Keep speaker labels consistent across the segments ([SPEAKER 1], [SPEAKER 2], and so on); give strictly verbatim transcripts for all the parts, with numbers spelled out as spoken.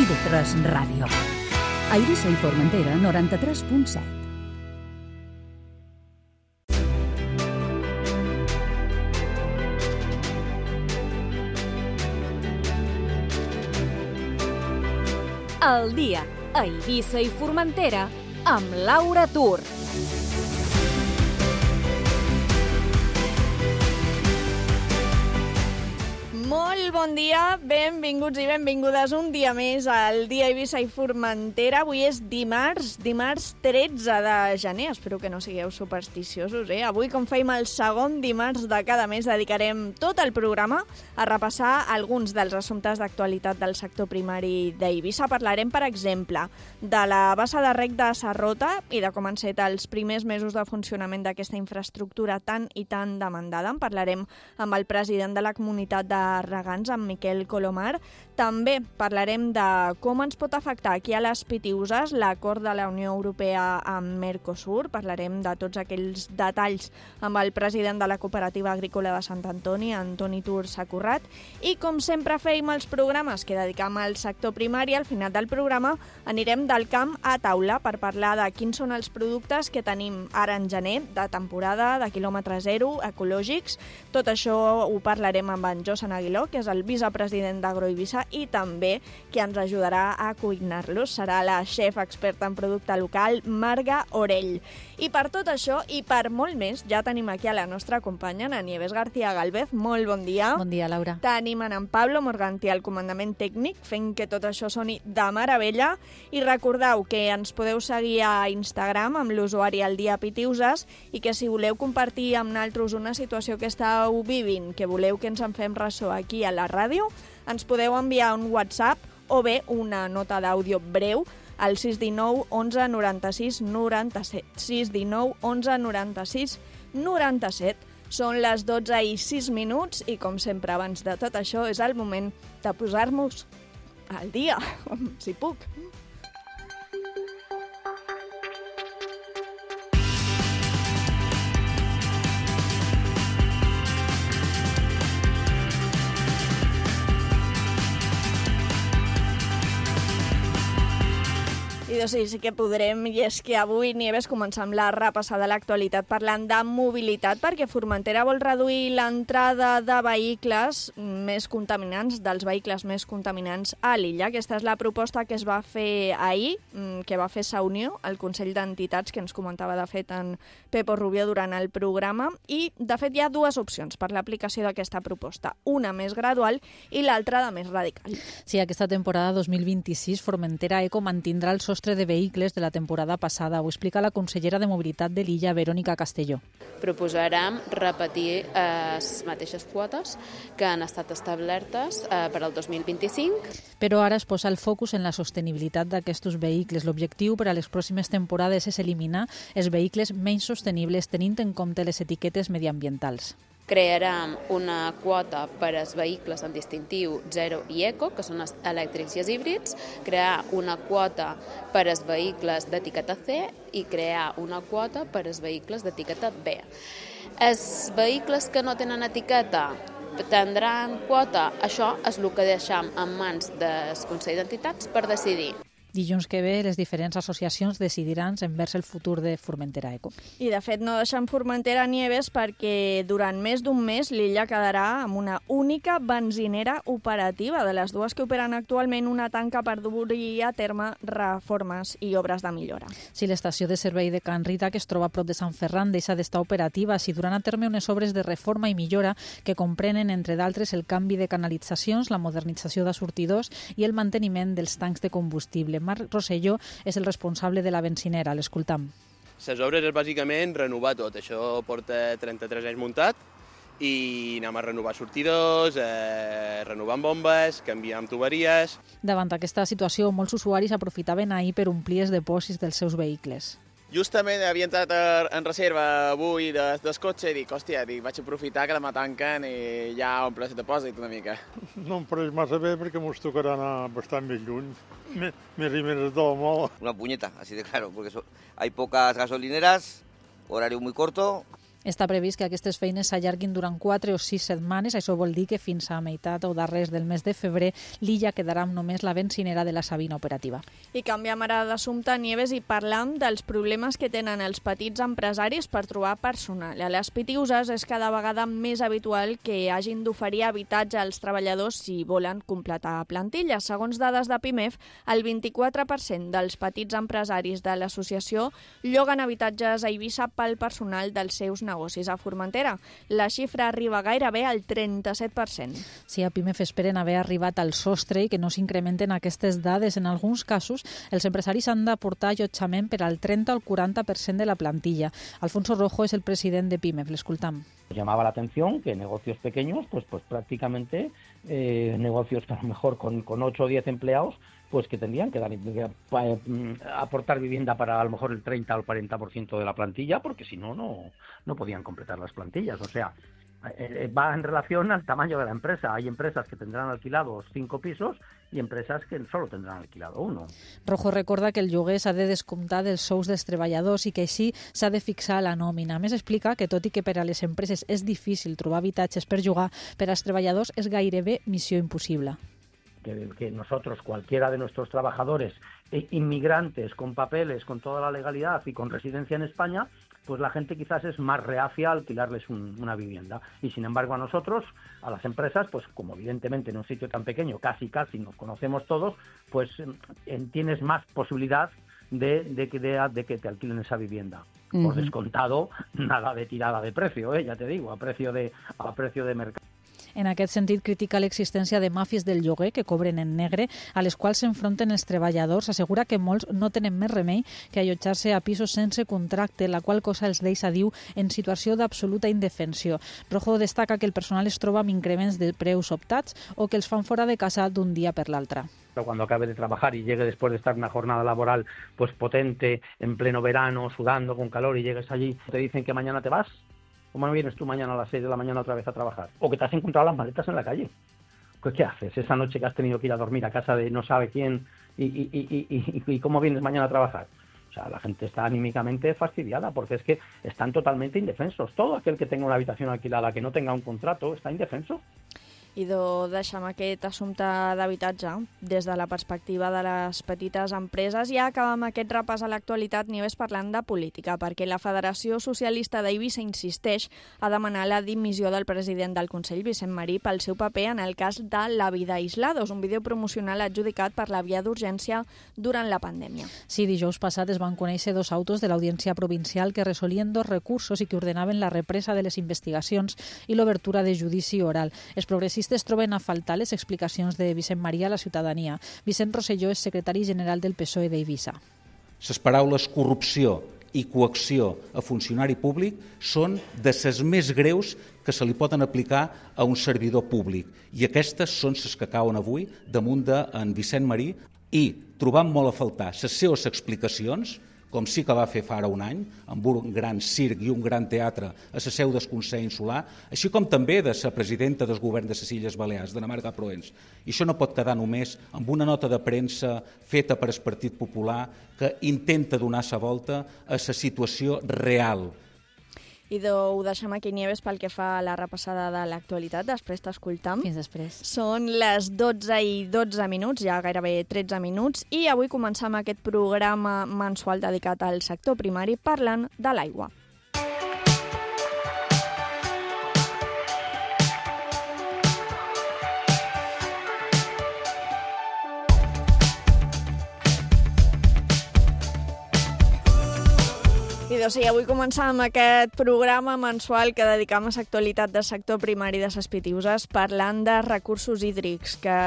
[SPEAKER 1] de tres Ràdio. A Eivissa i Formentera, noranta-tres punt set.
[SPEAKER 2] El dia a Eivissa i Formentera amb Laura Tur. Molt bon dia, benvinguts i benvingudes un dia més al dia a Eivissa i Formentera. Avui és dimarts, dimarts tretze de gener. Espero que no sigueu supersticiosos, eh? Avui, com fèiem el segon dimarts de cada mes, dedicarem tot el programa a repassar alguns dels assumptes d'actualitat del sector primari d'Eivissa. Parlarem, per exemple, de la bassa de rec de Sarrota i de com han set els primers mesos de funcionament d'aquesta infraestructura tan i tan demandada. En parlarem amb el president de la comunitat de regants, amb Miquel Colomar. També parlarem de com ens pot afectar aquí a les Pitiüses l'acord de la Unió Europea amb Mercosur. Parlarem de tots aquells detalls amb el president de la Cooperativa Agrícola de Sant Antoni, Antoni Tur Sacorrat. I com sempre fèiem els programes que dedicam al sector primari, al final del programa anirem del camp a taula per parlar de quins són els productes que tenim ara en gener, de temporada, de quilòmetre zero, ecològics. Tot això ho parlarem amb en Josan Aguiló, que és el vicepresident d'Agroeivissa i també qui ens ajudarà a cuinar-los. Serà la xef experta en producte local, Marga Orell. I per tot això i per molt més, ja tenim aquí a la nostra companya, la Nieves García Galvez. Molt bon dia.
[SPEAKER 3] Bon dia, Laura.
[SPEAKER 2] Tenim en Pablo Morganti al comandament tècnic, fent que tot això soni de meravella. I recordeu que ens podeu seguir a Instagram amb l'usuari El Dia Pitiüses i que si voleu compartir amb nosaltres una situació que estàu vivint, que voleu que ens en fem ressò aquí a la ràdio, ens podeu enviar un WhatsApp o bé una nota d'àudio breu al sis un nou onze noranta-sis noranta-set. sis un nou onze noranta-sis noranta-set. Són les dotze i sis minuts i, com sempre, abans de tot això, és el moment de posar-nos al dia, si puc. I doncs sí, sí que podrem, i és que avui, Nieves, comencem la repassada de l'actualitat parlant de mobilitat, perquè Formentera vol reduir l'entrada de vehicles més contaminants, dels vehicles més contaminants a l'illa. Aquesta és la proposta que es va fer ahir, que va fer Saunió, el Consell d'Entitats, que ens comentava de fet en Pepo Rubio durant el programa, i de fet hi ha dues opcions per l'aplicació d'aquesta proposta, una més gradual i l'altra de més radical.
[SPEAKER 3] Sí, aquesta temporada dos mil vint-i-sis Formentera Eco mantindrà el sostre de vehicles de la temporada passada. Ho explica la consellera de Mobilitat de l'illa, Verònica Castelló.
[SPEAKER 4] Proposarem repetir les eh, mateixes quotes que han estat establertes eh, per al dos mil vint-i-cinc.
[SPEAKER 3] Però ara es posa el focus en la sostenibilitat d'aquests vehicles. L'objectiu per a les pròximes temporades és eliminar els vehicles menys sostenibles tenint en compte les etiquetes mediambientals.
[SPEAKER 4] Crearem una quota per als vehicles amb distintiu zero i eco, que són els elèctrics i els híbrids, crear una quota per als vehicles d'etiqueta C i crear una quota per als vehicles d'etiqueta B. Els vehicles que no tenen etiqueta tindran quota, això és el que deixem en mans del Consell d'Entitats per decidir.
[SPEAKER 3] Dilluns que ve les diferents associacions decidiran envers el futur de Formentera Eco.
[SPEAKER 2] I de fet no deixem Formentera Nieves perquè durant més d'un mes l'illa quedarà amb una única benzinera operativa. De les dues que operen actualment, una tanca per dur-hi a terme reformes i obres de millora.
[SPEAKER 3] Si l'estació de servei de Can Rita, que es troba a prop de Sant Ferran, deixa d'estar operativa, si duran a terme unes obres de reforma i millora que comprenen, entre d'altres, el canvi de canalitzacions, la modernització de sortidors i el manteniment dels tancs de combustible. Marc Rosselló és el responsable de la benzinera. L'escoltam.
[SPEAKER 5] Les obres és bàsicament renovar tot. Això porta trenta-tres anys muntat i anem a renovar sortidors, eh, renovant bombes, canviant tuberies.
[SPEAKER 3] Davant aquesta situació, molts usuaris aprofitaven ahir per omplir els dipòsits dels seus vehicles.
[SPEAKER 6] Justament havia entrat en reserva avui del de cotxe i dic, hòstia, dic, vaig aprofitar que demà tanquen i ja omple el depòsit una mica.
[SPEAKER 7] No em pareix massa bé perquè mos tocarà anar bastant més lluny. Me, me rimeres todo molt.
[SPEAKER 8] Una puñeta, así de claro, porque so, hay pocas gasolineras, horario muy corto.
[SPEAKER 3] Està previst que aquestes feines s'allarguin durant quatre o sis setmanes. Això vol dir que fins a meitat o darrers del mes de febrer l'illa quedarà amb només la bencinera de la Sabina operativa.
[SPEAKER 2] I canviem ara d'assumpte, Nieves, i parlam dels problemes que tenen els petits empresaris per trobar personal. A les Pitiuses és cada vegada més habitual que hagin d'oferir habitatge als treballadors si volen completar plantilla. Segons dades de Pimef, el vint-i-quatre per cent dels petits empresaris de l'associació lloguen habitatges a Eivissa pel personal dels seus negocis a Formentera. La xifra arriba gairebé al trenta-set per cent.
[SPEAKER 3] Sí, a Pimef esperen haver arribat al sostre i que no s'incrementen aquestes dades. En alguns casos, els empresaris han d'aportar allotjament per al trenta al quaranta per cent de la plantilla. Alfonso Rojo és el president de Pimef. L'escoltam.
[SPEAKER 8] Llamaba la atención que negocios pequeños, pues, pues prácticamente eh, negocios a lo mejor con, con ocho o diez empleados, pues que tendrían que, dar, que eh, aportar vivienda para a lo mejor el treinta o el cuarenta por ciento de la plantilla, porque si no, no, no podían completar las plantillas. O sea, eh, va en relación al tamaño de la empresa. Hay empresas que tendrán alquilados cinco pisos i empreses que solo tendrán alquilado uno.
[SPEAKER 3] Rojo recorda que el lloguer s'ha de descomptar dels sous dels treballadors i que així s'ha de fixar la nòmina. A més, explica que tot i que per a les empreses és difícil trobar habitatges per llogar, per als treballadors és gairebé missió impossible.
[SPEAKER 8] Que, que nosotros, cualquiera de nuestros trabajadores, eh, inmigrantes, con papeles, con toda la legalidad y con residencia en España, pues la gente quizás es más reacia a alquilarles un, una vivienda. Y sin embargo a nosotros, a las empresas, pues como evidentemente en un sitio tan pequeño, casi casi nos conocemos todos, pues eh, tienes más posibilidad de, de, de, de que te alquilen esa vivienda. Uh-huh. Por descontado, nada de tirada de precio, ¿eh? Ya te digo, a precio de, a precio de mercado.
[SPEAKER 3] En aquest sentit, critica l'existència de màfies del lloguer que cobren en negre, a les quals s'enfronten els treballadors. Assegura que molts no tenen més remei que allotjar-se a pisos sense contracte, la qual cosa els deixa, diu, en situació d'absoluta indefensió. Rojo destaca que el personal es troba amb increments de preus optats o que els fan fora de casa d'un dia per l'altre.
[SPEAKER 8] Cuando acabe de trabajar y llegue después de estar una jornada laboral pues potente, en pleno verano, sudando con calor, y llegues allí, te dicen que mañana te vas. ¿Cómo no vienes tú mañana a las seis de la mañana otra vez a trabajar? O que te has encontrado las maletas en la calle. Pues, ¿qué haces esa noche que has tenido que ir a dormir a casa de no sabe quién y, y, y, y, y, y cómo vienes mañana a trabajar? O sea, la gente está anímicamente fastidiada porque es que están totalmente indefensos. Todo aquel que tenga una habitación alquilada que no tenga un contrato está indefenso.
[SPEAKER 2] I deixem aquest assumpte d'habitatge des de la perspectiva de les petites empreses. Ja acabem aquest repàs a l'actualitat, Nieves, parlant de política, perquè la Federació Socialista d'Eivissa insisteix a demanar la dimissió del president del Consell, Vicent Marí, pel seu paper en el cas de La vida aislados, un vídeo promocional adjudicat per la via d'urgència durant la pandèmia.
[SPEAKER 3] Sí, dijous passat es van conèixer dos autos de l'Audiència Provincial que resolien dos recursos i que ordenaven la represa de les investigacions i l'obertura de judici oral. Els progressistes es troben a faltar les explicacions de Vicent Marí a la ciutadania. Vicent Rosselló és secretari general del P S O E d'Eivissa.
[SPEAKER 9] Les paraules corrupció i coacció a funcionari públic són de les més greus que se li poden aplicar a un servidor públic. I aquestes són les que cauen avui damunt d'en Vicent Marí i trobant molt a faltar les seves explicacions, com sí que va fer fa ara un any, amb un gran circ i un gran teatre a la seu del Consell Insular, així com també de la presidenta del govern de les Illes Balears, Dina Marga Proens. I això no pot quedar només amb una nota de premsa feta per el Partit Popular que intenta donar la volta a la situació real.
[SPEAKER 2] I ho deixem aquí, Nieves, pel que fa a la repassada de l'actualitat. Després t'escoltam.
[SPEAKER 3] Fins després.
[SPEAKER 2] Són les dotze i dotze minuts, ja gairebé tretze minuts, i avui comencem aquest programa mensual dedicat al sector primari parlant de l'aigua. I doncs sí, avui començàvem aquest programa mensual que dedicam a l'actualitat del sector primari de les Pitiuses parlant de recursos hídrics, que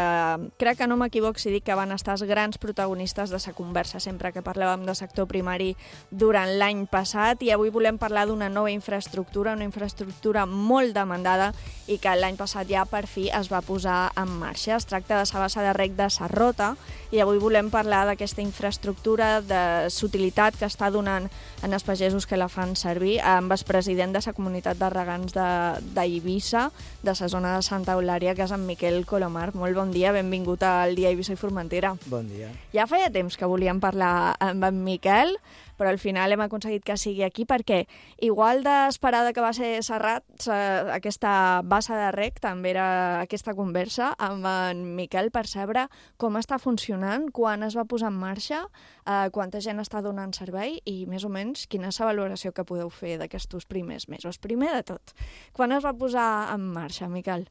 [SPEAKER 2] crec que no m'equivoc si dic que van estar els grans protagonistes de la conversa sempre que parlàvem de sector primari durant l'any passat, i avui volem parlar d'una nova infraestructura, una infraestructura molt demandada i que l'any passat ja per fi es va posar en marxa. Es tracta de la bassa de reg de Sarrota i avui volem parlar d'aquesta infraestructura, de l'utilitat que està donant en els pagesos que la fan servir, amb el president de la comunitat de regants d'Eivissa, de, de la zona de Santa Eulària, que és en Miquel Colomar. Molt bon dia, benvingut al Dia Eivissa i Formentera.
[SPEAKER 10] Bon dia.
[SPEAKER 2] Ja feia temps que volíem parlar amb en Miquel, però al final hem aconseguit que sigui aquí perquè, igual d'esperada que va ser Serrat, aquesta bassa de rec també era aquesta conversa amb en Miquel per saber com està funcionant, quan es va posar en marxa, eh, quanta gent està donant servei i més o menys quina és la valoració que podeu fer d'aquests primers mesos. Primer de tot, quan es va posar en marxa, Miquel?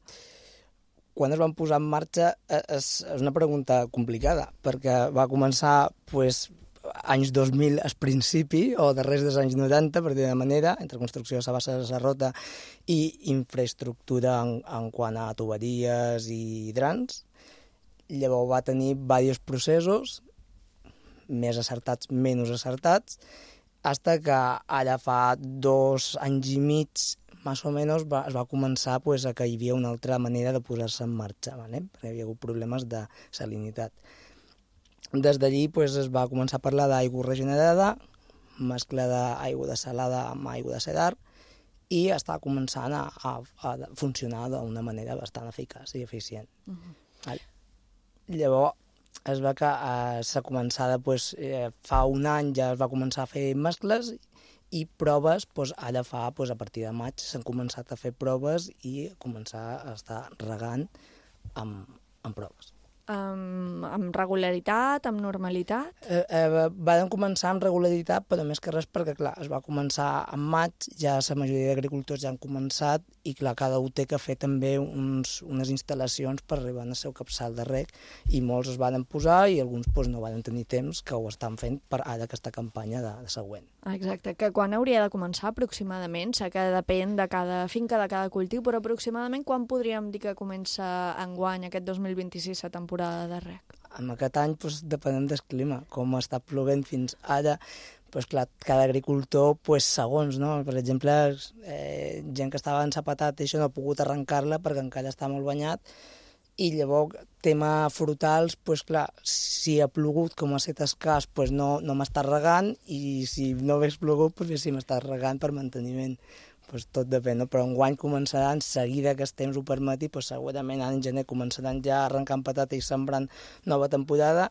[SPEAKER 10] Quan es van posar en marxa és, és una pregunta complicada, perquè va començar pues, anys dos mil al principi, o darrers dels anys noranta, per dir-ho manera, entre construcció de la bassa de Serrota i infraestructura en, en quant a tuberies i hidrants. Llavors va tenir diversos processos, més acertats, menys acertats, fins que ara fa dos anys i mig, més o menys, va, es va començar pues, a que hi havia una altra manera de posar-se en marxa, ¿vale? Perquè hi havia hagut problemes de salinitat. Des d'allí pues, es va començar a parlar d'aigua regenerada, mescla d'aigua de salada amb aigua de cedar, i està començant a, a, a funcionar d'una manera bastant eficaç i eficient. Uh-huh. Vale. Llavors, es va que eh, s'ha començat, pues, eh, fa un any ja es va començar a fer mescles i proves, pues, ara fa, pues, a partir de maig s'han començat a fer proves i començar a estar regant amb, amb proves.
[SPEAKER 2] Um, amb regularitat, amb normalitat?
[SPEAKER 10] Eh, eh, vam començar amb regularitat, però més que res perquè, clar, es va començar en maig, ja la majoria d'agricultors ja han començat i, clar, cada un té que fer també uns, unes instal·lacions per arribar al seu capçal de rec i molts es van posar i alguns pues, no van tenir temps que ho estan fent per ara aquesta campanya de, de següent.
[SPEAKER 2] Exacte, que quan hauria de començar aproximadament? Sé que depèn de cada finca, de cada cultiu, però aproximadament quan podríem dir que comença enguany, aquest dos mil vint-i-sis, la temporada de rec?
[SPEAKER 10] En aquest any pues, depenem del clima, com està plovent fins ara, pues, clar, cada agricultor, pues, segons, no? Per exemple, eh, gent que estava ensapatat i això no ha pogut arrencar-la perquè encara està molt banyat, i llavors, tema frutals, pues, clar, si ha plogut com ha estat escàs, pues, no, no m'està regant, i si no hagués plogut, pues, sí m'està regant per manteniment. Pues, tot depèn, no? Però enguany començaran, seguida que el temps ho permeti, pues, segurament en gener començaran ja arrencant patata i sembrant nova temporada,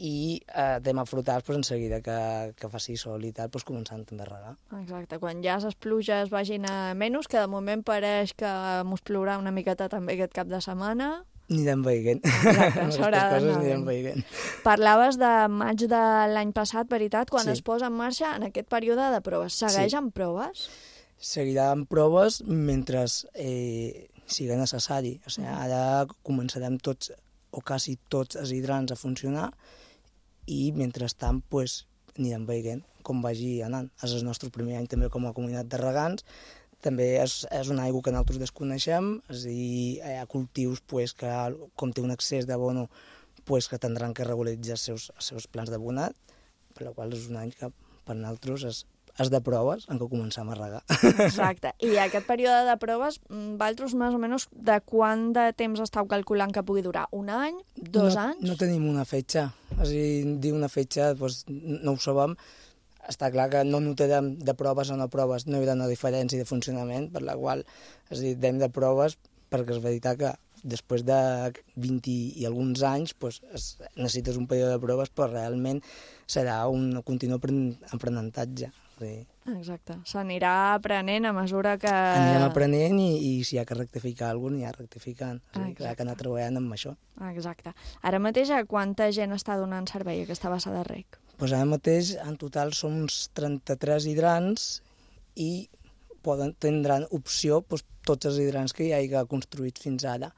[SPEAKER 10] i eh, tema frutals, pues, en seguida que, que faci sol i tal, pues, començant també a regar.
[SPEAKER 2] Exacte, quan ja les pluges vagin a menys, que de moment pareix que mos plourà una miqueta també aquest cap de setmana.
[SPEAKER 10] Anirem veient.
[SPEAKER 2] Exacte, s'haurà d'anar
[SPEAKER 10] anirem veient.
[SPEAKER 2] Parlaves de maig de l'any passat, veritat, quan
[SPEAKER 10] Sí.
[SPEAKER 2] es posa en marxa en aquest període de proves. Segueix
[SPEAKER 10] Sí.
[SPEAKER 2] amb proves?
[SPEAKER 10] Seguirà amb proves mentre eh, sigui necessari. O sigui, ara començarem tots, o quasi tots, els hidrants a funcionar, i mentrestant pues, anirem veient com vagi anant. És el nostre primer any també com a comunitat de regants. També és, és una aigua que nosaltres desconeixem, és a dir, hi ha cultius pues, que, com té un excés d'abono, pues, que tindran que regularitzar els seus, els seus plans d'abonat, per la qual és un any que per nosaltres és, és de proves en què comencem a regar.
[SPEAKER 2] Exacte. I aquest període de proves, vosaltres més o menys de quant de temps estàu calculant que pugui durar? Un any? Dos
[SPEAKER 10] no,
[SPEAKER 2] anys?
[SPEAKER 10] No tenim una fetge. És a dir, dir una fetge doncs, no ho sabem. Està clar que no notarem de proves o no proves, no hi haurà una diferència de funcionament, per la qual, és a dir, dem de proves, perquè és veritat que després de vint i alguns anys pues, es, necessites un període de proves, però realment serà un continu aprenentatge.
[SPEAKER 2] Exacte. S'anirà aprenent a mesura que...
[SPEAKER 10] Anirem aprenent i, i si hi ha que rectificar alguna cosa, n'hi ha rectificant. O sigui, hi ha que anar treballant amb això.
[SPEAKER 2] Exacte. Ara mateix, a quanta gent està donant servei a aquesta bassa de rec?
[SPEAKER 10] Pues ara mateix, en total, som uns trenta-tres hidrants i poden, tindran opció pues, tots els hidrants que hi hagi construïts fins ara.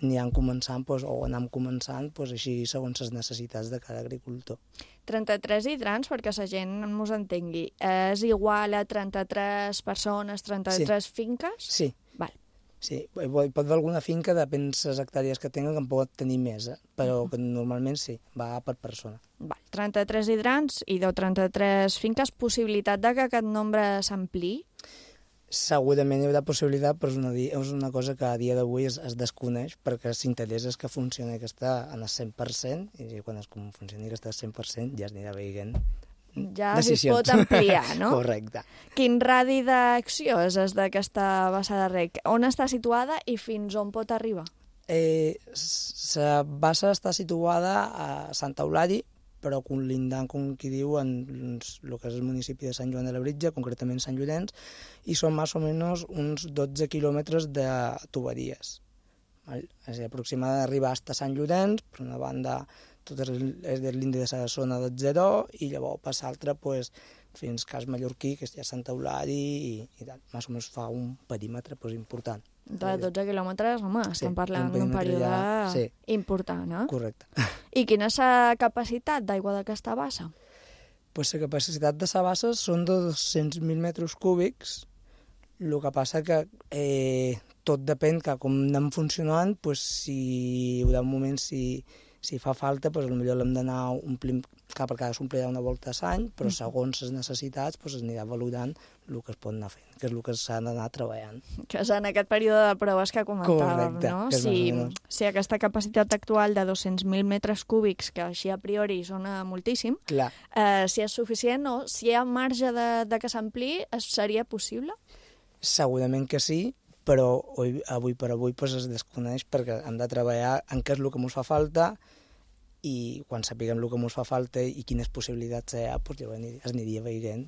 [SPEAKER 10] Aniran començant, pues, o anem començant, pues, així segons les necessitats de cada agricultor.
[SPEAKER 2] trenta-tres hidrants, perquè la gent ens entengui, és igual a trenta-tres persones, trenta-tres
[SPEAKER 10] sí.
[SPEAKER 2] finques?
[SPEAKER 10] Sí.
[SPEAKER 2] Val.
[SPEAKER 10] Sí, pot haver alguna finca, depèn de les hectàrees que tinguen, que en pot tenir més, eh? Però que normalment sí, va per persona.
[SPEAKER 2] Val. trenta-tres hidrants i de trenta-tres finques, possibilitat de que aquest nombre s'ampliï?
[SPEAKER 10] Segurament hi haurà possibilitat, però és una, és una cosa que a dia d'avui es, es desconeix, perquè l'interès és que funcioni aquesta en el cent per cent, i quan es funcioni aquesta al cent per cent ja es anirà veient
[SPEAKER 2] ja es pot ampliar, no?
[SPEAKER 10] Correcte.
[SPEAKER 2] Quin radi d'acció és des d'aquesta bassa de rec? On està situada i fins on pot arribar?
[SPEAKER 10] Eh, la bassa està situada a Sant Eulàlia, però conlindant, com qui diu, en el que és el municipi de Sant Joan de Labritja, concretament Sant Llorenç, i són més o menys uns dotze quilòmetres de tuberies. Val? És a dir, aproximadament arribar fins a Sant Llorenç, per una banda tot és l'indi de la zona del zero, i llavors per l'altra pues, fins a Cas Mallorquí, que és ja Sant Eulari, i, i tal. Més o menys fa un perímetre pues, important.
[SPEAKER 2] De dotze quilòmetres, home, sí, estem parlant d'un període ja... sí. important, eh?
[SPEAKER 10] Correcte.
[SPEAKER 2] I quina és la capacitat d'aigua d'aquesta bassa?
[SPEAKER 10] Pues la capacitat de la bassa són de dos-cents mil metres cúbics. El que passa que eh, tot depèn que com anem funcionant, pues, si hi ha un moment, si, si fa falta, pues, potser l'hem d'anar omplint, clar, perquè s'omplirà una volta a l'any, però segons les necessitats pues, es anirà valorant el que es pot anar fent, que és el que s'ha d'anar treballant.
[SPEAKER 2] Que és en aquest període de proves que comentàvem,
[SPEAKER 10] correcte,
[SPEAKER 2] no?
[SPEAKER 10] Que
[SPEAKER 2] si, si aquesta capacitat actual de dos-cents mil metres cúbics, que així a priori sona moltíssim, eh, si és suficient o si hi ha marge de, de que s'ampli, seria possible?
[SPEAKER 10] Segurament que sí, però avui, avui per avui pues, es desconeix perquè hem de treballar en què és el que ens fa falta i quan sapiguem el que ens fa falta i quines possibilitats hi ha, pues, llavors es aniria veient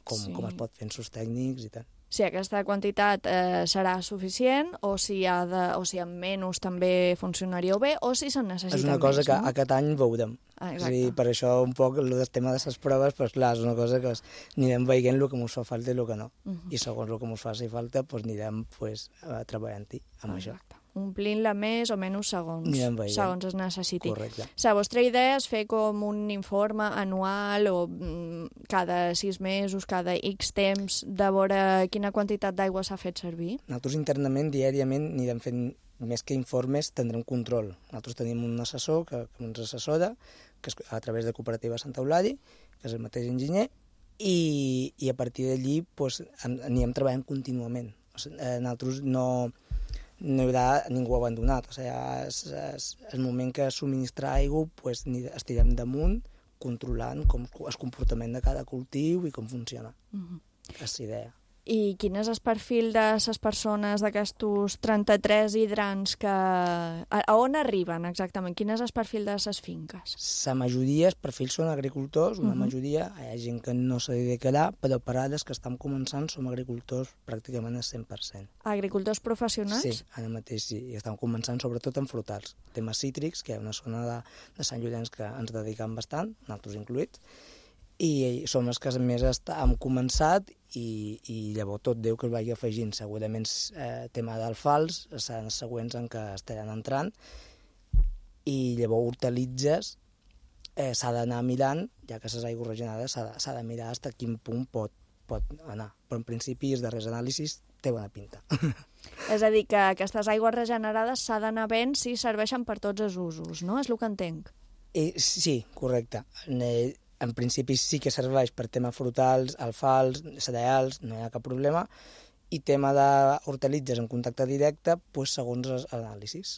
[SPEAKER 10] com, sí. com es pot fer en sus tècnics i tal.
[SPEAKER 2] Si aquesta quantitat eh, serà suficient o si, ha de, o si amb menys també funcionaria bé o si se'n necessita més.
[SPEAKER 10] És una cosa
[SPEAKER 2] més,
[SPEAKER 10] que
[SPEAKER 2] no?
[SPEAKER 10] aquest any veurem.
[SPEAKER 2] Ah,
[SPEAKER 10] és a dir, per això un poc el tema de les proves, pues, clar, és una cosa que anirem veient el que ens fa falta i el que no. Uh -huh. I segons el que ens faci falta, pues, anirem pues, treballant-hi amb
[SPEAKER 2] Exacte.
[SPEAKER 10] això.
[SPEAKER 2] Omplint-la més o menys segons, segons es necessiti.
[SPEAKER 10] Correcte.
[SPEAKER 2] La vostra idea és fer com un informe anual o mm, cada sis mesos, cada X temps, de veure quina quantitat d'aigua s'ha fet servir?
[SPEAKER 10] Nosaltres internament, diàriament, anirem fent, més que informes, tindrem control. Nosaltres tenim un assessor que, que ens assessora, que és a través de Cooperativa Sant Eulari, que és el mateix enginyer, i, i a partir d'allí pues, anirem treballant contínuament. O sigui, nosaltres no... no hi haurà ningú abandonat. O sigui, és, és, és el moment que subministrar aigua pues, estirem damunt controlant com el comportament de cada cultiu i com funciona. Uh-huh. És la idea.
[SPEAKER 2] I quin és el perfil de les persones d'aquests trenta-tres hidrants que... A, a on arriben exactament? Quin és el perfil de les finques?
[SPEAKER 10] La majoria, els perfils són agricultors, una uh-huh. majoria, hi ha gent que no se dedicarà, però per ara que estem començant som agricultors pràcticament al cent per cent.
[SPEAKER 2] Agricultors professionals?
[SPEAKER 10] Sí, ara mateix sí, i estem començant sobretot en frutals. Temes cítrics, que hi ha una zona de, de Sant Llorenç que ens dediquem bastant, nosaltres incluïts, i som els que més hem començat i, i llavors tot Déu que es vagi afegint. Segurament eh, tema d'alfals seran els següents en què estaran entrant i llavors hortalitzes eh, s'ha d'anar mirant, ja que les aigües regenerades s'ha de, de mirar fins a quin punt pot, pot anar. Però en principi els darrers anàlisis té bona pinta.
[SPEAKER 2] És a dir, que aquestes aigües regenerades s'ha d'anar veient si serveixen per tots els usos, no? És el que entenc.
[SPEAKER 10] Eh, sí, correcte. Eh, En principi sí que serveix per tema frutals, alfals, cereals, no hi ha cap problema, i tema d'hortalitzes en contacte directe, pues, segons els anàlisis,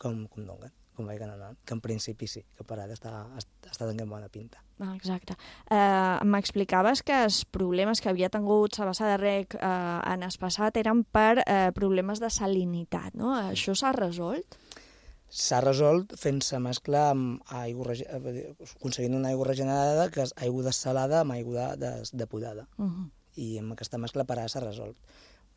[SPEAKER 10] com, com donen, com vagin anant, que en principi sí, que per ara està, està tenint bona pinta.
[SPEAKER 2] Ah, exacte. Eh, M'explicaves que els problemes que havia tingut la bassa de rec eh, en el passat eren per eh, problemes de salinitat, no? Això s'ha resolt?
[SPEAKER 10] S'ha resolt fent la mescla amb aigua, aconseguint una aigua regenerada que és aigua dessalada amb aigua de, de, depurada. Uh-huh. I amb aquesta mescla per ara s'ha resolt.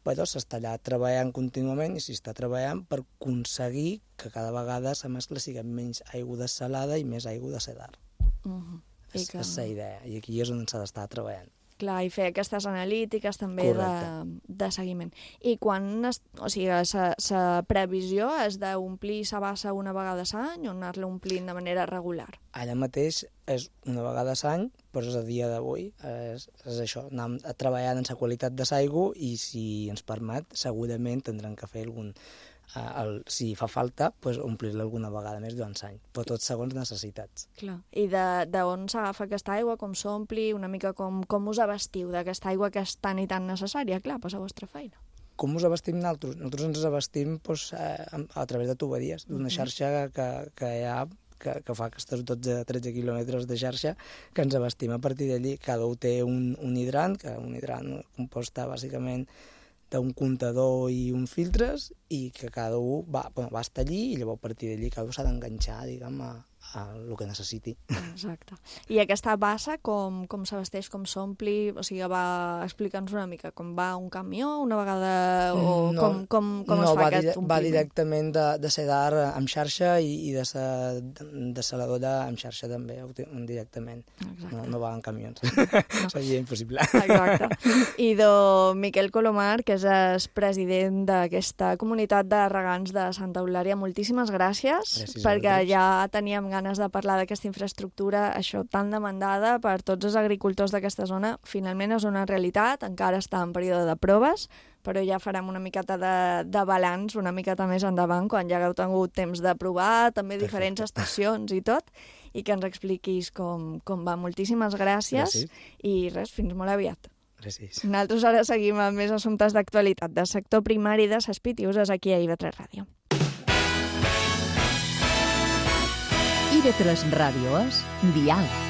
[SPEAKER 10] Però s'està allà treballant contínuament i s'està treballant per aconseguir que cada vegada la mescla sigui menys aigua dessalada i més aigua de sedar. Uh-huh. És que... la idea, i aquí és on s'ha d'estar treballant.
[SPEAKER 2] Clar, i fer aquestes analítiques també de, de seguiment. I quan, es, o sigui, la previsió és d'omplir la bassa una vegada a l'any o anar-la omplint de manera regular?
[SPEAKER 10] Allà mateix és una vegada a l'any, però és a dia d'avui, és, és això, anem treballant en la qualitat de l'aigua i si ens permet, segurament tindrem que fer algun... El, si fa falta, pues, omplir-la alguna vegada més durant l'any, però tot segons necessitats.
[SPEAKER 2] Clar. I d'on s'agafa aquesta aigua, com s'ompli, una mica com, com us abastiu d'aquesta aigua que és tan i tan necessària, clar, per la vostra feina?
[SPEAKER 10] Com us abastim nosaltres? Nosaltres ens abastim pues, a, a través de tuberies, d'una xarxa que, que hi ha que, que fa aquests dotze a tretze quilòmetres de xarxa que ens abastim a partir d'allí. Cada un té un, un hidrant, que un hidrant composta bàsicament d'un comptador i uns filtres i que cada un va, bueno, va estar allí i llavors a partir d'allí cada un s'ha d'enganxar, diguem, a, el que necessiti.
[SPEAKER 2] Exacte. I aquesta bassa, com, com s'abasteix, com s'ompli? O sigui, va explica'ns una mica com va un camió una vegada o
[SPEAKER 10] no,
[SPEAKER 2] com, com, com
[SPEAKER 10] no,
[SPEAKER 2] es fa
[SPEAKER 10] va
[SPEAKER 2] aquest
[SPEAKER 10] dire,
[SPEAKER 2] ompliment?
[SPEAKER 10] va directament de, de sedar amb xarxa i, i de, sa, de saladora amb xarxa també, directament. No, no va en camions. No. Seria impossible.
[SPEAKER 2] Exacte. I do Miquel Colomar, que és president d'aquesta comunitat de regants de Santa Eulària, moltíssimes gràcies, gràcies perquè ja teníem ganes de parlar d'aquesta infraestructura, això tan demandada per tots els agricultors d'aquesta zona. Finalment és una realitat, encara està en període de proves, però ja farem una miqueta de, de balanç una miqueta més endavant, quan ja hagueu tingut temps de provar, també Perfecte. diferents estacions i tot, i que ens expliquis com, com va. Moltíssimes gràcies, gràcies. I res, fins molt aviat.
[SPEAKER 10] Gràcies.
[SPEAKER 2] Nosaltres ara seguim amb més assumptes d'actualitat del sector primari de ses Pitiuses aquí a I V tres Ràdio.
[SPEAKER 1] I V tres Ràdio és Diàleg.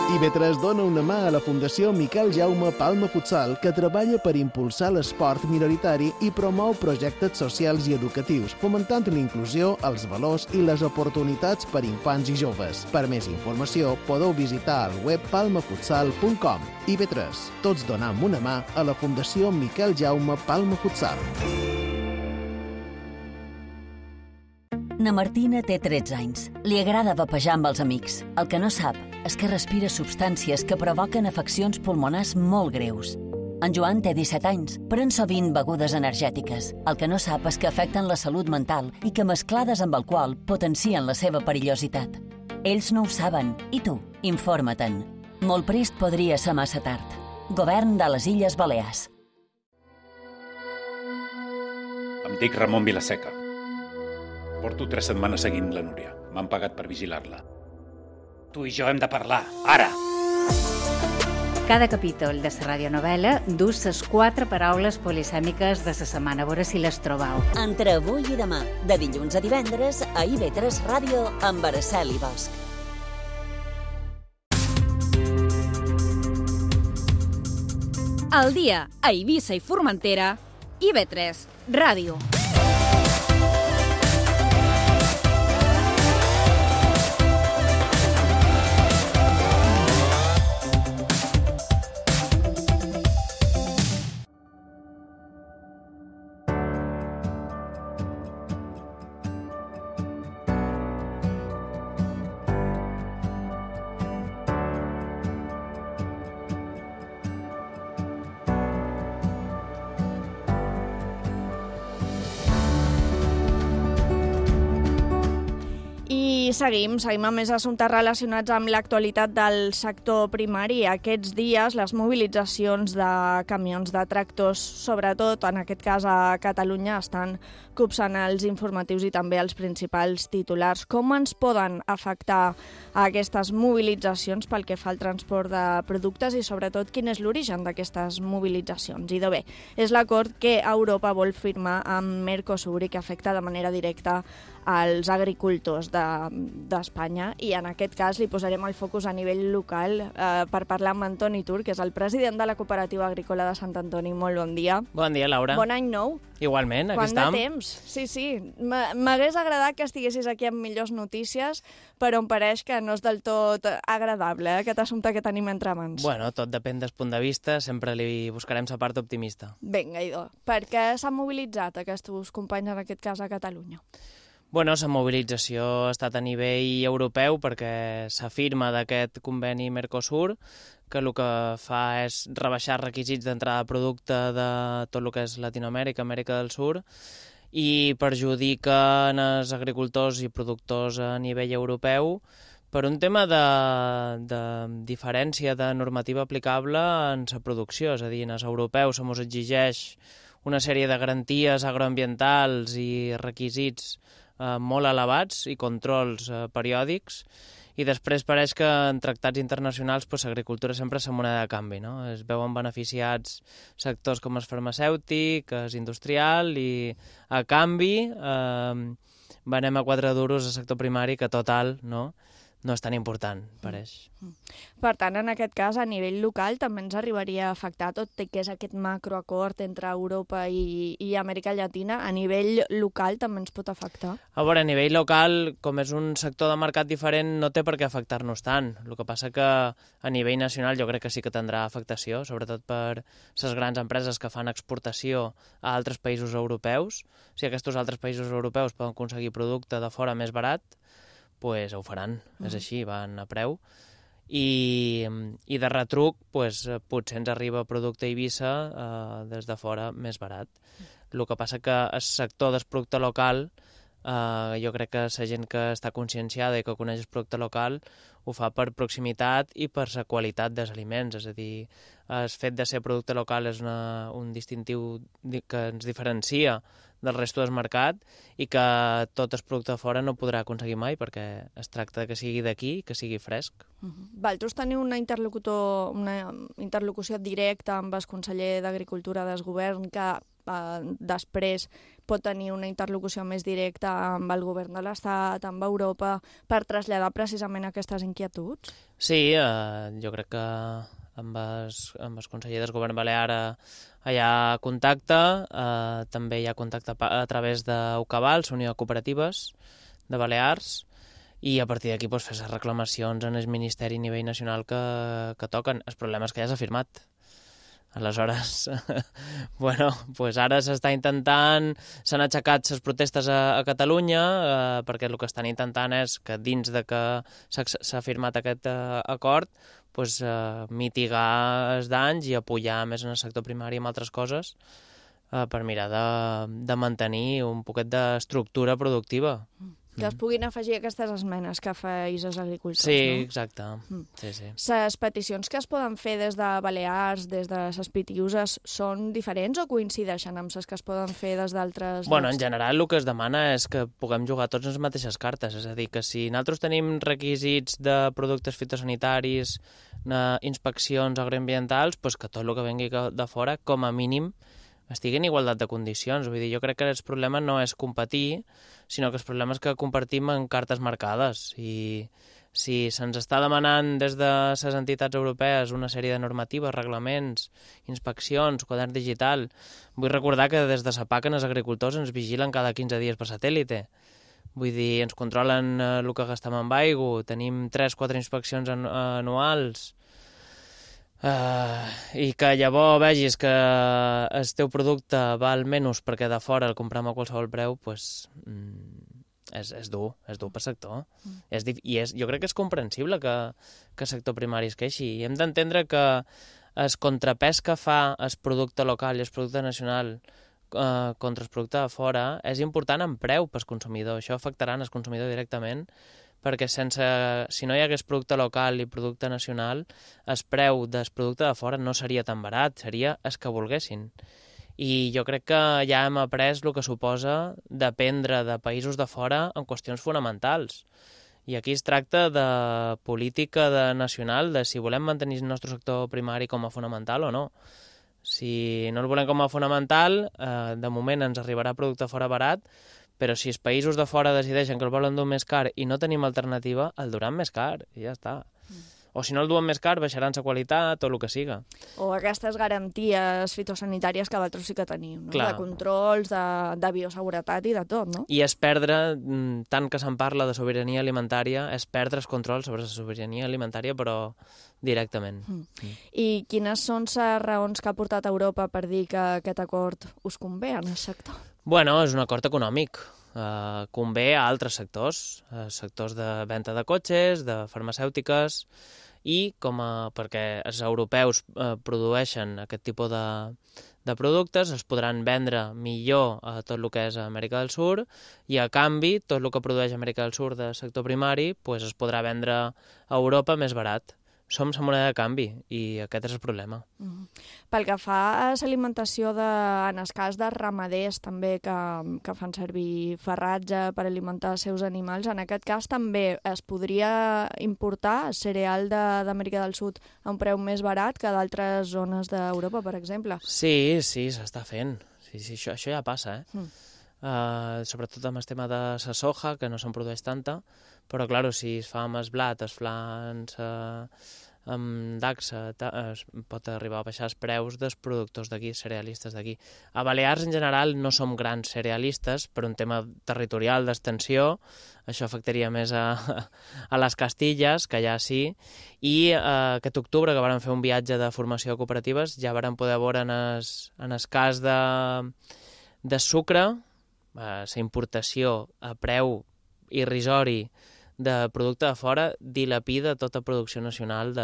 [SPEAKER 11] I V tres dona una mà a la Fundació Miquel Jaume Palma Futsal, que treballa per impulsar l'esport minoritari i promou projectes socials i educatius, fomentant l'inclusió, els valors i les oportunitats per infants i joves. Per més informació, podeu visitar el web palma futsal punt com. I V tres, tots donam una mà a la Fundació Miquel Jaume Palma Futsal.
[SPEAKER 12] Na Martina té tretze anys. Li agrada vapejar amb els amics. El que no sap és que respira substàncies que provoquen afeccions pulmonars molt greus. En Joan té disset anys, pren sovint begudes energètiques. El que no sap és que afecten la salut mental i que mesclades amb alcohol potencien la seva perillositat. Ells no ho saben, i tu, informa-te'n. Molt prest podria ser massa tard. Govern de les Illes Balears.
[SPEAKER 13] Em dic Ramon Vilaseca. Porto tres setmanes seguint la Núria. M'han pagat per vigilar-la. Tu i jo hem de parlar, ara!
[SPEAKER 14] Cada capítol de la radionovel·la du ses quatre paraules polisèmiques de la setmana. A veure si les trobau.
[SPEAKER 12] Entre avui i demà, de dilluns a divendres, a I V tres Ràdio amb Araceli Bosch.
[SPEAKER 15] Al dia, a Eivissa i Formentera, I V tres Ràdio.
[SPEAKER 2] I seguim, seguim amb més assumptes relacionats amb l'actualitat del sector primari. Aquests dies les mobilitzacions de camions de tractors, sobretot en aquest cas a Catalunya, estan copsant els informatius i també els principals titulars. Com ens poden afectar aquestes mobilitzacions pel que fa al transport de productes i sobretot quin és l'origen d'aquestes mobilitzacions? I de bé, és l'acord que Europa vol firmar amb Mercosur i que afecta de manera directa als agricultors d'Espanya de, i en aquest cas li posarem el focus a nivell local eh, per parlar amb Antoni Tur, que és el president de la Cooperativa Agrícola de Sant Antoni. Molt bon dia.
[SPEAKER 16] Bon dia, Laura.
[SPEAKER 2] Bon any nou.
[SPEAKER 16] Igualment, aquí
[SPEAKER 2] Quant
[SPEAKER 16] estem.
[SPEAKER 2] de temps? Sí, sí. M'hagués agradat que estiguessis aquí amb millors notícies, però em pareix que no és del tot agradable, eh, aquest assumpte que tenim entre mans.
[SPEAKER 16] Bueno, tot depèn del punt de vista, sempre li buscarem la part optimista.
[SPEAKER 2] Vinga, idò. Per què s'han mobilitzat aquests companys, en aquest cas a Catalunya?
[SPEAKER 16] Bueno, la mobilització ha estat a nivell europeu perquè s'afirma d'aquest conveni Mercosur, que el que fa és rebaixar requisits d'entrada de producte de tot el que és Latinoamèrica, Amèrica del Sur, i perjudiquen els agricultors i productors a nivell europeu per un tema de, de diferència de normativa aplicable en la producció. És a dir, als europeus se mos exigeix una sèrie de garanties agroambientals i requisits eh, molt elevats i controls eh, periòdics, i després pareix que en tractats internacionals pues, l'agricultura sempre és la moneda de canvi, no? Es veuen beneficiats sectors com el farmacèutic, el industrial, i a canvi eh, venem a quatre duros al sector primari, que total, no? no és tan important, pareix.
[SPEAKER 2] Per tant, en aquest cas, a nivell local també ens arribaria a afectar tot i que és aquest macroacord entre Europa i, i Amèrica Llatina. A nivell local també ens pot afectar?
[SPEAKER 16] A veure, a nivell local, com és un sector de mercat diferent, no té per què afectar-nos tant. El que passa que a nivell nacional jo crec que sí que tindrà afectació, sobretot per les grans empreses que fan exportació a altres països europeus. Si aquests altres països europeus poden aconseguir producte de fora més barat, pues ho faran, mm. és així, van a preu. I, i de retruc, pues, potser ens arriba producte a Eivissa eh, des de fora més barat. El que passa que el sector del producte local, eh, jo crec que la gent que està conscienciada i que coneix el producte local ho fa per proximitat i per la qualitat dels aliments, és a dir, el fet de ser producte local és una, un distintiu que ens diferencia del resto del mercat i que tot el producte de fora no podrà aconseguir mai perquè es tracta que sigui d'aquí, que sigui fresc.
[SPEAKER 2] Uh-huh. Vosaltres teniu una, interlocutor, una interlocució directa amb el conseller d'Agricultura del govern que eh, després pot tenir una interlocució més directa amb el govern de l'Estat, amb Europa, per traslladar precisament aquestes inquietuds?
[SPEAKER 16] Sí, eh, jo crec que amb el, amb el conseller del govern balear hi ha contacte, eh, també hi ha contacte a través d'Ucabal, l'Unió de Cooperatives de Balears, i a partir d'aquí pues, fer les reclamacions en el Ministeri a nivell nacional que, que toquen. El problema és que ja s'ha firmat. Aleshores, bueno, pues ara s'està intentant, s'han aixecat les protestes a, a Catalunya, eh, perquè el que estan intentant és que dins de que s'ha firmat aquest eh, acord, pues, eh, mitigar els danys i apoyar més en el sector primari amb altres coses eh, per mirar de, de mantenir un poquet d'estructura productiva.
[SPEAKER 2] Mm. Que es puguin afegir aquestes esmenes que feis als agricultors,
[SPEAKER 16] sí,
[SPEAKER 2] no?
[SPEAKER 16] Exacte. Mm. Sí, sí.
[SPEAKER 2] Les peticions que es poden fer des de Balears, des de les Pitiüses, són diferents o coincideixen amb les que es poden fer des d'altres llocs?
[SPEAKER 16] Bueno, en general el que es demana és que puguem jugar tots les mateixes cartes, és a dir, que si nosaltres tenim requisits de productes fitosanitaris, inspeccions agroambientals, pues que tot el que vengui de fora, com a mínim, estigui en igualtat de condicions. Vull dir, jo crec que el problema no és competir, sinó que el problema és que compartim en cartes marcades. I si se'ns està demanant des de les entitats europees una sèrie de normatives, reglaments, inspeccions, quadern digital, vull recordar que des de la P A C els agricultors ens vigilen cada quinze dies per satèl·lite. Vull dir, ens controlen el que gastem amb aigua, tenim tres o quatre inspeccions anuals, Uh, i que llavors vegis que el teu producte val menys perquè de fora el compram a qualsevol preu, pues, mm, és, és dur, és dur pel sector. Mm. És, I és, jo crec que és comprensible que, que el sector primari es queixi. I hem d'entendre que el contrapès que fa el producte local i el producte nacional uh, contra el producte de fora és important en preu pel consumidor. Això afectarà el consumidor directament, perquè sense, si no hi hagués producte local i producte nacional, el preu del producte de fora no seria tan barat, seria el que volguessin. I jo crec que ja hem après el que suposa dependre de països de fora en qüestions fonamentals. I aquí es tracta de política de nacional, de si volem mantenir el nostre sector primari com a fonamental o no. Si no el volem com a fonamental, eh, de moment ens arribarà producte fora barat, però si els països de fora decideixen que el volen dur més car i no tenim alternativa, el duran més car, i ja està. Mm. O si no el duen més car, baixaran la qualitat o el que siga.
[SPEAKER 2] O aquestes garanties fitosanitàries que vosaltres sí que tenim, no?
[SPEAKER 16] Clar.
[SPEAKER 2] De controls, de, de bioseguretat i de tot, no?
[SPEAKER 16] I és perdre, tant que se'n parla de sobirania alimentària, és perdre el control sobre la sobirania alimentària, però directament. Mm.
[SPEAKER 2] Mm. I quines són les raons que ha portat Europa per dir que aquest acord us convé en el sector?
[SPEAKER 16] Bueno, és un acord econòmic. Uh, convé a altres sectors, uh, sectors de venda de cotxes, de farmacèutiques, i com a, perquè els europeus uh, produeixen aquest tipus de, de productes, els podran vendre millor a tot el que és Amèrica del Sud, i a canvi, tot el que produeix Amèrica del Sud del sector primari pues, es podrà vendre a Europa més barat. Som la moneda de canvi i aquest és el problema.
[SPEAKER 2] Mm. Pel que fa a l'alimentació, de, en el cas de ramaders també que, que fan servir farratge per alimentar els seus animals, en aquest cas també es podria importar cereal d'Amèrica de, del Sud a un preu més barat que d'altres zones d'Europa, per exemple?
[SPEAKER 16] Sí, sí, s'està fent. Sí, sí, això, això ja passa, eh? Mm. Uh, sobretot amb el tema de la soja, que no se'n produeix tanta, però, clar, si es fa amb el blat, es fa amb dacsa, es pot arribar a baixar els preus dels productors d'aquí, cerealistes d'aquí. A Balears, en general, no som grans cerealistes, per un tema territorial d'extensió, això afectaria més a, a les Castilles, que ja sí, i eh, aquest octubre, que vàrem fer un viatge de formació de cooperatives, ja vàrem poder veure en el, en el cas de, de sucre, eh, la importació a preu irrisori de producte de fora dilapida tota producció nacional de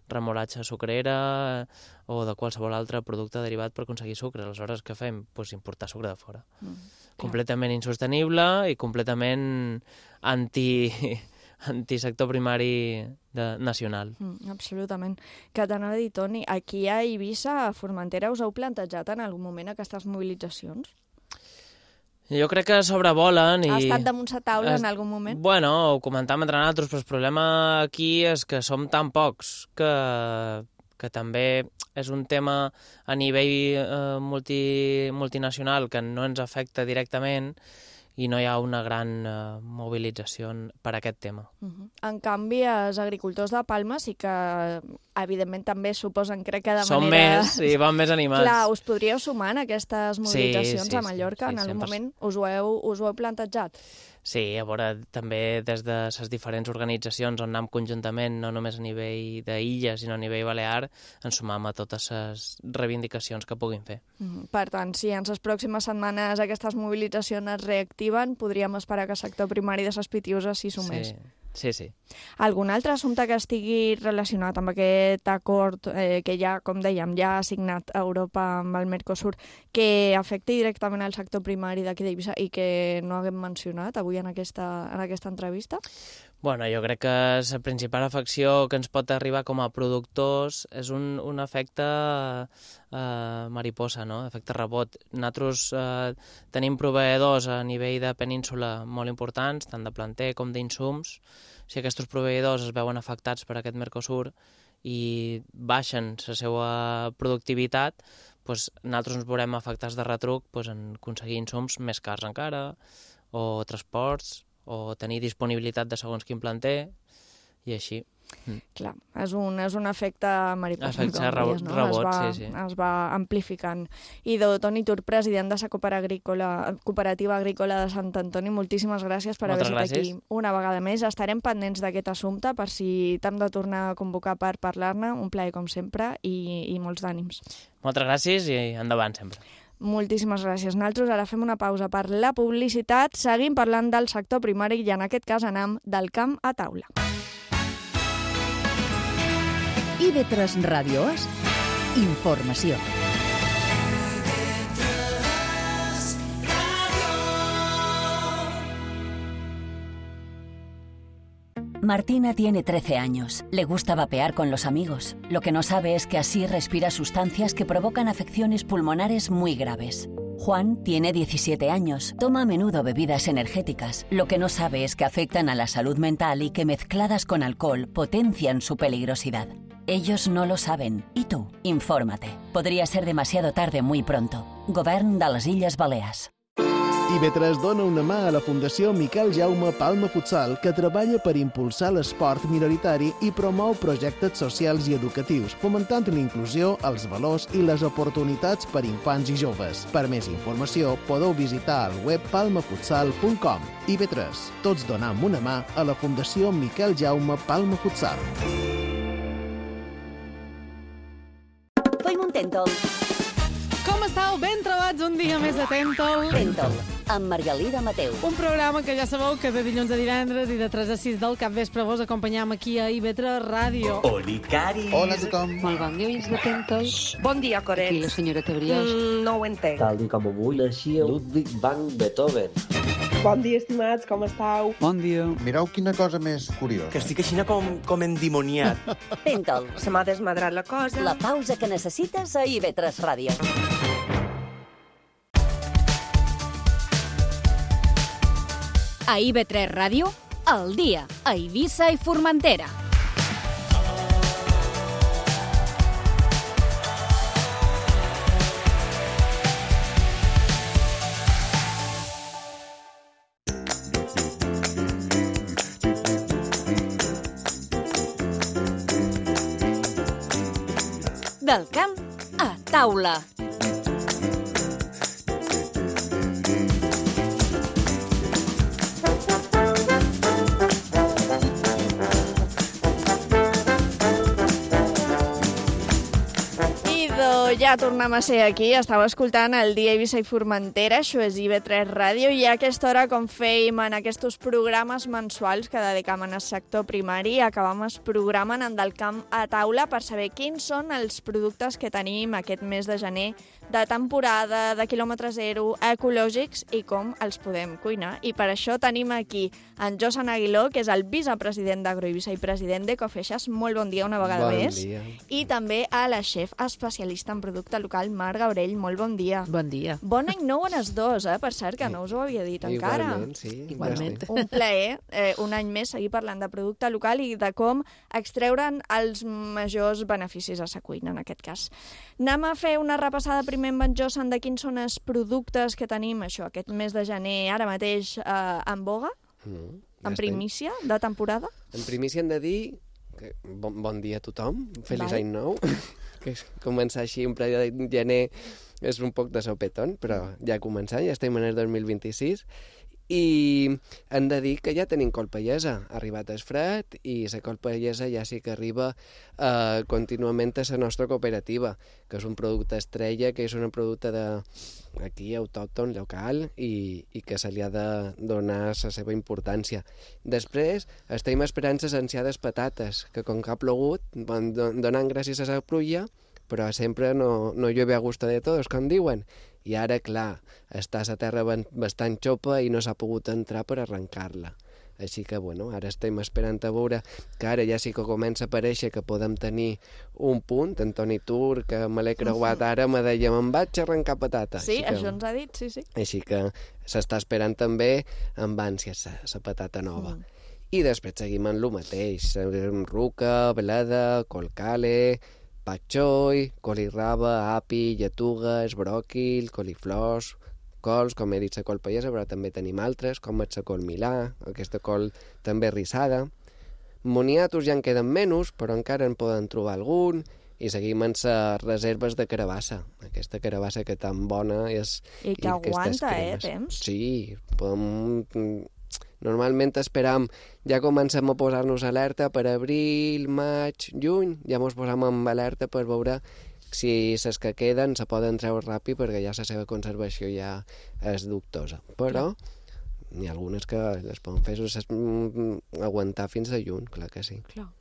[SPEAKER 16] remolatxa sucrera o de qualsevol altre producte derivat per aconseguir sucre. Aleshores, què fem? Pues importar sucre de fora. Mm, completament insostenible i completament anti, antisector primari de, nacional.
[SPEAKER 2] Mm, absolutament. Que t'anava a dir, Toni, aquí a Eivissa, a Formentera, us heu plantejat en algun moment aquestes mobilitzacions?
[SPEAKER 16] Jo crec que sobrevolen i...
[SPEAKER 2] Ha estat damunt la taula es... en algun moment?
[SPEAKER 16] Bueno, ho comentàvem entre nosaltres, però el problema aquí és que som tan pocs que, que també és un tema a nivell eh, multi, multinacional que no ens afecta directament i no hi ha una gran eh, mobilització per aquest tema.
[SPEAKER 2] Uh-huh. En canvi, els agricultors de Palma sí que, evidentment, també suposen, crec que de
[SPEAKER 16] Som
[SPEAKER 2] manera...
[SPEAKER 16] Som més, sí, van més animats.
[SPEAKER 2] Clar, us podríeu sumar en aquestes mobilitzacions
[SPEAKER 16] sí, sí,
[SPEAKER 2] a Mallorca?
[SPEAKER 16] Sí, sí,
[SPEAKER 2] en algun
[SPEAKER 16] sempre...
[SPEAKER 2] moment us ho, heu, us ho heu plantejat?
[SPEAKER 16] Sí, a veure, també des de les diferents organitzacions on anem conjuntament, no només a nivell d'illes, sinó a nivell balear, ens sumam a totes les reivindicacions que puguin fer.
[SPEAKER 2] Mm-hmm. Per tant, si en les pròximes setmanes aquestes mobilitzacions es reactiven, podríem esperar que el sector primari de les Pitiuses s'hi sumés.
[SPEAKER 16] Sí. Sí, sí.
[SPEAKER 2] Algun altre assumpte que estigui relacionat amb aquest acord eh, que ja, com dèiem, ja ha signat Europa amb el Mercosur, que afecti directament al sector primari d'aquí d'Eivissa i que no haguem mencionat avui en aquesta, en aquesta entrevista?
[SPEAKER 16] Bueno, jo crec que la principal afecció que ens pot arribar com a productors és un, un efecte eh, mariposa, no? Efecte rebot. Nosaltres eh, tenim proveïdors a nivell de península molt importants, tant de planter com d'insums. Si aquests proveïdors es veuen afectats per aquest Mercosur i baixen la seva productivitat, doncs nosaltres ens veurem afectats de retruc doncs, en aconseguir insums més cars encara, o transports, o tenir disponibilitat de segons quin planter, i així. Mm.
[SPEAKER 2] Clar, és un, és un efecte mariposa.
[SPEAKER 16] Efecte rebot, no? rebot
[SPEAKER 2] es va,
[SPEAKER 16] sí, sí.
[SPEAKER 2] Es va amplificant. I de Toni Tur, president de la Cooperativa Agrícola de Sant Antoni, moltíssimes gràcies per
[SPEAKER 16] Moltes
[SPEAKER 2] haver estat
[SPEAKER 16] gràcies.
[SPEAKER 2] aquí una vegada més. Estarem pendents d'aquest assumpte per si t'hem de tornar a convocar per parlar-ne. Un plaer, com sempre, i, i molts d'ànims.
[SPEAKER 16] Moltes gràcies i endavant sempre.
[SPEAKER 2] Moltíssimes gràcies. Nosaltres ara fem una pausa per la publicitat. Seguim parlant del sector primari i en aquest cas anem del camp a taula.
[SPEAKER 1] I V tres Ràdio És informació.
[SPEAKER 12] Martina tiene trece años. Le gusta vapear con los amigos. Lo que no sabe es que así respira sustancias que provocan afecciones pulmonares muy graves. Juan tiene diecisiete años. Toma a menudo bebidas energéticas. Lo que no sabe es que afectan a la salud mental y que mezcladas con alcohol potencian su peligrosidad. Ellos no lo saben. ¿Y tú? Infórmate. Podría ser demasiado tarde muy pronto. Govern de les Illes Balears.
[SPEAKER 11] I V tres dona una mà a la Fundació Miquel Jaume Palma Futsal, que treballa per impulsar l'esport minoritari i promou projectes socials i educatius, fomentant l'inclusió, els valors i les oportunitats per infants i joves. Per més informació, podeu visitar el web palma futsal punt com. I V tres, tots donam una mà a la Fundació Miquel Jaume Palma Futsal.
[SPEAKER 12] Feim un tèntol.
[SPEAKER 17] Com estàu? Ben trobats un dia més a Tèntol.
[SPEAKER 12] Tèntol, amb Margalida Mateu.
[SPEAKER 17] Un programa que ja sabeu que de dilluns a divendres i de tres a sis del capvespre vos acompanyam aquí a I V tres Ràdio.
[SPEAKER 18] Oli, Cari.
[SPEAKER 19] Hola a tothom.
[SPEAKER 20] Molt bon dia, oients de Tèntol.
[SPEAKER 21] Bon dia, Coret.
[SPEAKER 20] Aquí la senyora Tebriós.
[SPEAKER 21] Mm, no ho entenc.
[SPEAKER 22] Tal i com avui naixia Ludwig van Beethoven.
[SPEAKER 21] Bon dia, estimats, com estàu?
[SPEAKER 19] Bon dia. Mireu quina cosa més curiosa.
[SPEAKER 18] Que estic així com, com endimoniat.
[SPEAKER 12] Tèntol.
[SPEAKER 21] Se m'ha desmadrat la cosa.
[SPEAKER 12] La pausa que necessites a I V tres Ràdio.
[SPEAKER 15] A I V tres Ràdio, al dia, a Eivissa i Formentera. Del camp a taula.
[SPEAKER 2] Ja tornem a ser aquí, estava escoltant el Dia Eivissa i Formentera, això és I V tres Ràdio, i a aquesta hora, com fèiem en aquests programes mensuals que dedicam al sector primari, acabam el programa en del camp a taula per saber quins són els productes que tenim aquest mes de gener de temporada, de quilòmetre zero, ecològics i com els podem cuinar. I per això tenim aquí en Josan Aguiló, que és el vicepresident d'Agroeivissa i president d'Ecofeixes. Molt bon dia una vegada
[SPEAKER 4] bon
[SPEAKER 2] més.
[SPEAKER 4] Dia.
[SPEAKER 2] I també a la xef especialista en producte local, Mar Gabriel. Molt bon dia.
[SPEAKER 4] Bon dia.
[SPEAKER 2] Bon any nou en els dos, eh? Per cert, que no us ho havia dit encara.
[SPEAKER 4] Igualment, sí.
[SPEAKER 2] Igualment. Un plaer, eh, un any més, seguir parlant de producte local i de com extreure'n els majors beneficis a sa cuina, en aquest cas. Anem a fer una repassada primer amb en Josan de quins són els productes que tenim això aquest mes de gener, ara mateix eh, en boga,
[SPEAKER 4] mm,
[SPEAKER 2] en primícia de temporada.
[SPEAKER 4] En primícia hem de dir que bon, bon dia a tothom, feliç
[SPEAKER 2] Vale.
[SPEAKER 4] any nou, que començar així un ple de gener és un poc de sopetón, però ja començant, ja estem en el dos mil vint-i-sis, i hem de dir que ja tenim colpellesa, ha arribat el fred i la colpellesa ja sí que arriba eh, contínuament a la nostra cooperativa, que és un producte estrella, que és un producte de aquí autòcton, local, i, i que se li ha de donar la seva importància. Després estem esperant les ansiades patates, que com que ha plogut, van donant gràcies a la pluja, però sempre no, no llueve a gusto de todos, com diuen. I ara, clar, està la terra bastant xopa i no s'ha pogut entrar per arrencar-la. Així que, bueno, ara estem esperant a veure que ara ja sí que comença a aparèixer que podem tenir un punt. En Toni Tur, que me l'he creuat ara, me deia, me'n vaig a arrencar patata.
[SPEAKER 2] Sí,
[SPEAKER 4] així que,
[SPEAKER 2] això ens ha dit, sí, sí.
[SPEAKER 4] Així que s'està esperant també amb ànsia la patata nova. Mm. I després seguim en el mateix. Ruca, bleda, colcale, pak choi, colirraba, api, lletugues, bròquil, coliflors, cols, com he dit, la col pallesa, però també tenim altres, com és la col milà, aquesta col també rissada. Moniatos ja en queden menys, però encara en poden trobar algun, i seguim amb les reserves de carabassa, aquesta carabassa que tan bona és...
[SPEAKER 2] I que
[SPEAKER 4] i
[SPEAKER 2] aguanta, eh,
[SPEAKER 4] cremes.
[SPEAKER 2] temps.
[SPEAKER 4] Sí, podem... Normalment esperam, ja comencem a posar-nos alerta per abril, maig, juny, ja ens posam en alerta per veure si les que queden se poden treure ràpid perquè ja la seva conservació ja és dubtosa. Però n'hi ha algunes que les poden fer aguantar fins a juny, clar que sí.
[SPEAKER 2] Clar.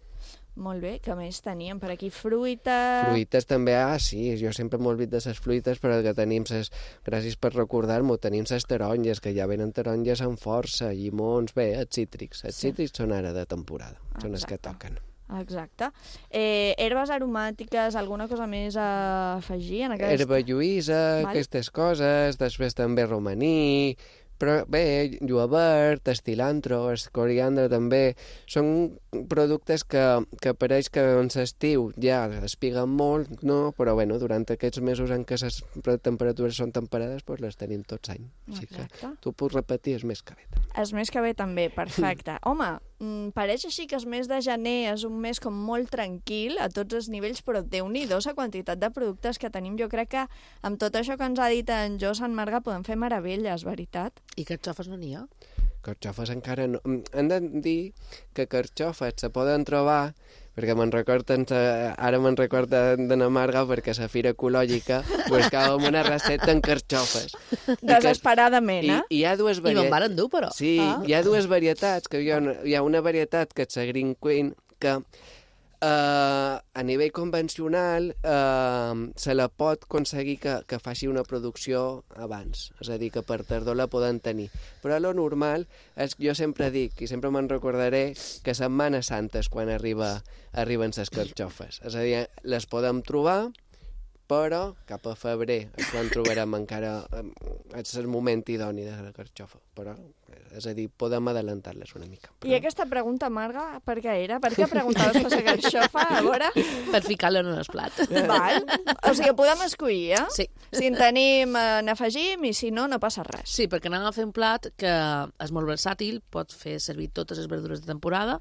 [SPEAKER 2] Molt bé, que més teníem per aquí? Fruita...
[SPEAKER 4] Fruites també, ah, sí, jo sempre m'ho oblid de les fruites, però que tenim ses, gràcies per recordar-m'ho, tenim les taronges, que ja venen taronges amb força, llimons, bé, els cítrics. Els sí. cítrics són ara de temporada, Exacte. Són els que toquen.
[SPEAKER 2] Exacte. Eh, herbes aromàtiques, alguna cosa més a afegir en aquest...
[SPEAKER 4] Herba lluïsa, vale. Aquestes coses, després també romaní... Però bé, julivert, el cilantro, el coriandre també, són productes que, que pareix que en l'estiu ja espiguen molt, no? Però bueno, durant aquests mesos en què les temperatures són temperades, doncs les tenim tots any. Així
[SPEAKER 2] Exacte.
[SPEAKER 4] Que tu pots repetir, és més que bé.
[SPEAKER 2] És més que bé també, perfecte. Home, pareix així que el mes de gener és un mes com molt tranquil a tots els nivells, però Déu-n'hi-do la quantitat de productes que tenim. Jo crec que amb tot això que ens ha dit en Josan Marga podem fer meravelles, veritat?
[SPEAKER 5] I carxofes no n'hi ha?
[SPEAKER 4] Carxofes encara no. Hem de dir que carxofes se poden trobar, perquè me'n recorden, ara me'n recorda de la Marga, perquè a la Fira Ecològica buscàvem una recepta en carxofes.
[SPEAKER 2] Desesperadament, eh?
[SPEAKER 4] I, i hi ha dues varietats.
[SPEAKER 5] I me'n van endur, però.
[SPEAKER 4] Sí, ah. Hi ha dues varietats, que hi ha una, hi ha una varietat que és la Green Queen, que Uh, a nivell convencional uh, se la pot aconseguir que, que faci una producció abans, és a dir, que per tardor la poden tenir, però lo normal és, jo sempre dic, i sempre me'n recordaré, que Setmana Santa és quan arriba, arriben les carxofes, és a dir, les podem trobar, però cap a febrer és quan trobarem encara, és el moment idoni de la carxofa, però És a dir, podem adelantar-les una mica.
[SPEAKER 2] I aquesta pregunta, Marga, per què era? Per què preguntaves per la carxofa, a veure?
[SPEAKER 5] Per ficar-la en el plat.
[SPEAKER 2] Val. O sigui, podem escollir, eh?
[SPEAKER 5] Sí.
[SPEAKER 2] Si en tenim, eh, n'afegim, i si no, no passa res.
[SPEAKER 5] Sí, perquè anem a fer un plat que és molt versàtil, pot fer servir totes les verdures de temporada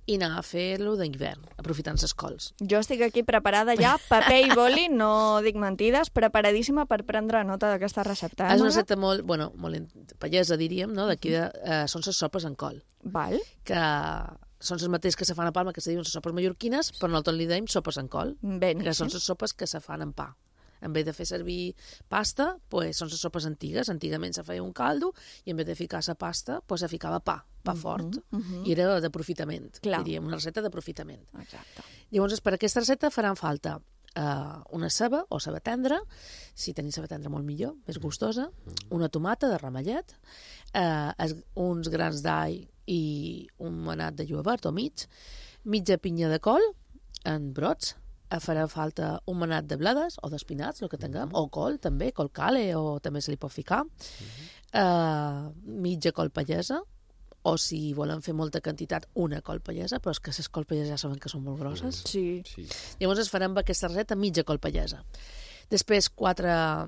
[SPEAKER 5] i anar a fer-lo d'hivern, aprofitant les cols.
[SPEAKER 2] Jo estic aquí preparada ja, paper i boli, no dic mentides, preparadíssima per prendre nota d'aquesta recepta. Eh,
[SPEAKER 5] és una
[SPEAKER 2] Marga?
[SPEAKER 5] recepta molt, bueno, molt pallesa, diríem, no? D'aquí de, eh, són les sopes en col.
[SPEAKER 2] Val.
[SPEAKER 5] Que són les mateixes que se fan a Palma, que se diuen les sopes mallorquines, però nosaltres li dèiem sopes en col.
[SPEAKER 2] Ben,
[SPEAKER 5] que
[SPEAKER 2] sí.
[SPEAKER 5] són les sopes que se fan en pa. En vez de fer servir pasta, pues, són les sopes antigues. Antigament se feia un caldo i en vez de ficar la pasta, pues, se ficava pa, pa fort.
[SPEAKER 2] Uh -huh, uh -huh.
[SPEAKER 5] I era d'aprofitament,
[SPEAKER 2] Clar.
[SPEAKER 5] diríem, una receta d'aprofitament.
[SPEAKER 2] Exacte.
[SPEAKER 5] Llavors, per aquesta receta faran falta uh, una ceba o ceba tendra, si teniu ceba tendra molt millor, més gustosa, una tomata de ramellet, uh, es, uns grans d'all i un manat de julivert o mig, mitja pinya de col en brots, farà falta un manat de bledes o d'espinats, el que tinguem, o col també, col cale, o també se li pot ficar, uh, mitja col pallesa, o si volen fer molta quantitat, una col pallesa, però és que les col palleses ja saben que són molt grosses.
[SPEAKER 2] Sí.
[SPEAKER 4] sí.
[SPEAKER 5] Llavors es farem aquesta receta mitja col pallesa. Després quatre,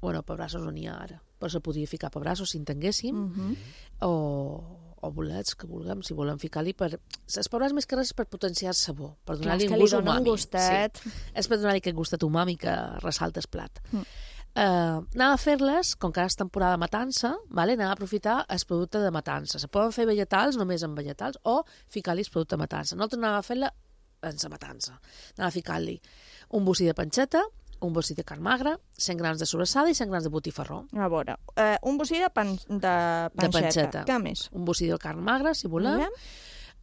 [SPEAKER 5] bueno, pebrassos no n'hi ha ara, però se podria ficar pebrassos si en tinguéssim,
[SPEAKER 2] Uh -huh.
[SPEAKER 5] o, o bolets que vulguem, si volen ficar-li per... Les pebrassos més que res és per potenciar el sabor, per
[SPEAKER 2] Clar,
[SPEAKER 5] donar-li
[SPEAKER 2] és que
[SPEAKER 5] un
[SPEAKER 2] li
[SPEAKER 5] gust
[SPEAKER 2] dona un
[SPEAKER 5] umami.
[SPEAKER 2] gustet.
[SPEAKER 5] Sí. És per donar-li aquest gustet umami que ressalta el plat.
[SPEAKER 2] Mm.
[SPEAKER 5] Uh, anava a fer-les, com que ara és temporada de matança, vale? Anava a aprofitar el producte de matança. Se poden fer vegetals, només amb vegetals, o ficar-li el producte de matança. Nosaltres anava a fer-la en la matança. Anava a ficar-li un bocí de panxeta, un bocí de carn magra, cent grams de sobrassada i cent grams de botifarró.
[SPEAKER 2] A veure, eh, un bocí de, pan, de panxeta.
[SPEAKER 5] De panxeta.
[SPEAKER 2] Què més?
[SPEAKER 5] Un bocí de carn magra, si volem.
[SPEAKER 2] Volem.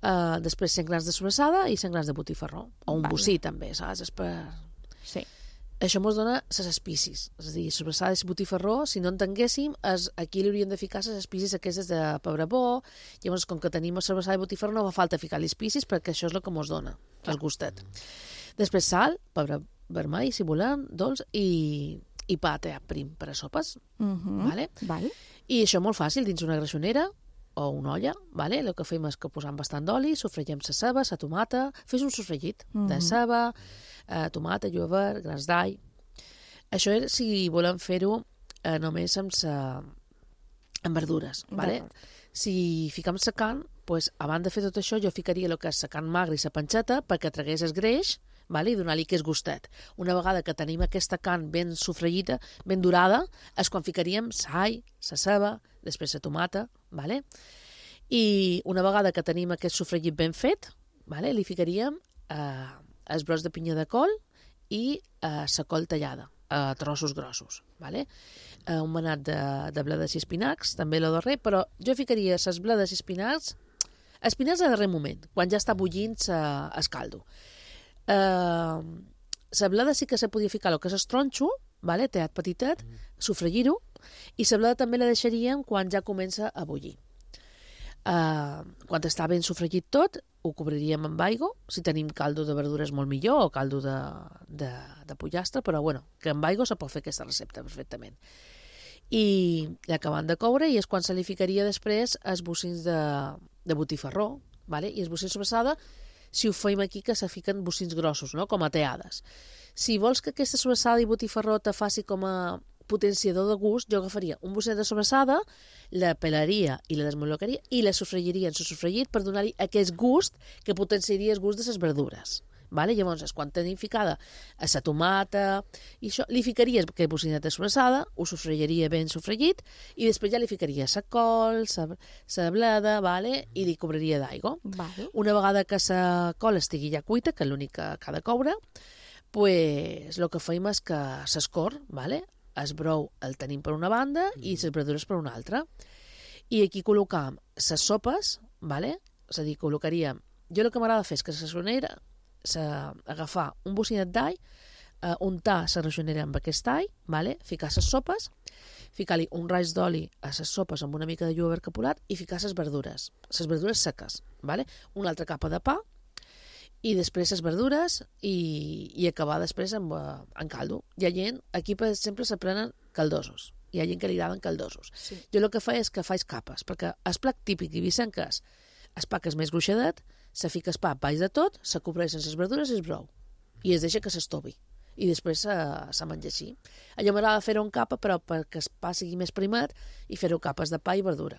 [SPEAKER 5] Uh, després cent grams de sobrassada i cent grams de botifarró. O un
[SPEAKER 2] Vale.
[SPEAKER 5] bocí, també, saps? És per...
[SPEAKER 2] Sí.
[SPEAKER 5] Això ens dona les espícies. És a dir, sobrassada i botifarró, si no en tinguéssim, es, aquí li hauríem de ficar les espícies aquestes de pebre bo. Llavors, com que tenim sobrassada i botifarró, no fa falta ficar-li espícies perquè això és el que ens dona, el gustet. Després sal, pebre vermell, si volem, dolç, i, i pa teat prim per a sopes.
[SPEAKER 2] Uh -huh.
[SPEAKER 5] Vale?
[SPEAKER 2] Vale.
[SPEAKER 5] I això molt fàcil, dins una greixonera o una olla, vale? El que fem és que posam bastant d'oli, sofregem la ceba, la tomata, fes un sofregit uh -huh. de ceba, eh, tomata, julivert, grans d'all. Això és si volem fer-ho eh, només amb, sa... amb verdures, vale? Si ficam la carn, pues, abans de fer tot això, jo ficaria el que és la carn magra i la panxeta perquè tragués el greix, vale? I donar-li aquest gustet. Una vegada que tenim aquesta carn ben sofregida, ben dorada, és quan ficaríem l'all, la ceba, després la tomata, vale? I una vegada que tenim aquest sofregit ben fet, vale? Li ficaríem eh, els brots de pinya de col i eh, la col tallada a trossos grossos, vale? Eh, un manat de, de bledes i espinacs, també lo darrer, però jo ficaria les bledes i espinacs, espinacs a darrer moment, quan ja està bullint el caldo. Uh, la bleda sí que se podia ficar el que és el tronxo, vale? Teat petitet, mm. sofregir-ho, i la bleda també la deixaríem quan ja comença a bullir. Uh, quan està ben sofregit tot, ho cobriríem amb aigua, si tenim caldo de verdures molt millor, o caldo de, de, de pollastre, però bueno, que amb aigua se pot fer aquesta recepta perfectament. I l'acabant de coure, i és quan se li ficaria després els bocins de, de botifarró, vale? I els bocins sobrassada, si ho fem aquí, que se fiquen bocins grossos, no? Com a teades. Si vols que aquesta sobrassada i botifarró te faci com a potenciador de gust, jo agafaria un bocet de sobrassada, la pelaria i la desmolocaria i la sofregiria en el sofregit per donar-li aquest gust que potenciaria el gust de les verdures. Vale? Llavors, quan tenim ficada a la tomata i això, li ficaries aquest bocinet de sobrassada, ho sofregiria ben sofregit i després ja li ficaria la col, la bleda, vale? I li cobriria d'aigua.
[SPEAKER 2] Vale.
[SPEAKER 5] Una vegada que la col estigui ja cuita, que és l'únic que ha de coure, pues, el que fem és que s'escor, vale? El brou el tenim per una banda i les verdures per una altra. I aquí col·locam les sopes, vale? És a dir, col·locaríem... Jo el que m'agrada fer és que la sonera agafar un bocinet d'all, uh, untar la reixonera amb aquest all, vale? Ficar les sopes, ficar-li un raig d'oli a les sopes amb una mica de julivert capolat i ficar les verdures, les verdures seques, vale? Una altra capa de pa i després les verdures i, i acabar després amb, uh, amb caldo. Hi ha gent, aquí per exemple se prenen caldosos, hi ha gent que li agraden caldosos. Sí. Jo el que faig és que faig capes, perquè el plat típic ibicenc és el pa que és més gruixadet, se fica el pa baix de tot, se cobreix sense les verdures i es brou. I es deixa que s'estovi. I després se, se menja així. Allò m'agrada fer-ho en capa, però perquè el pa sigui més primat i fer-ho capes de pa i verdura.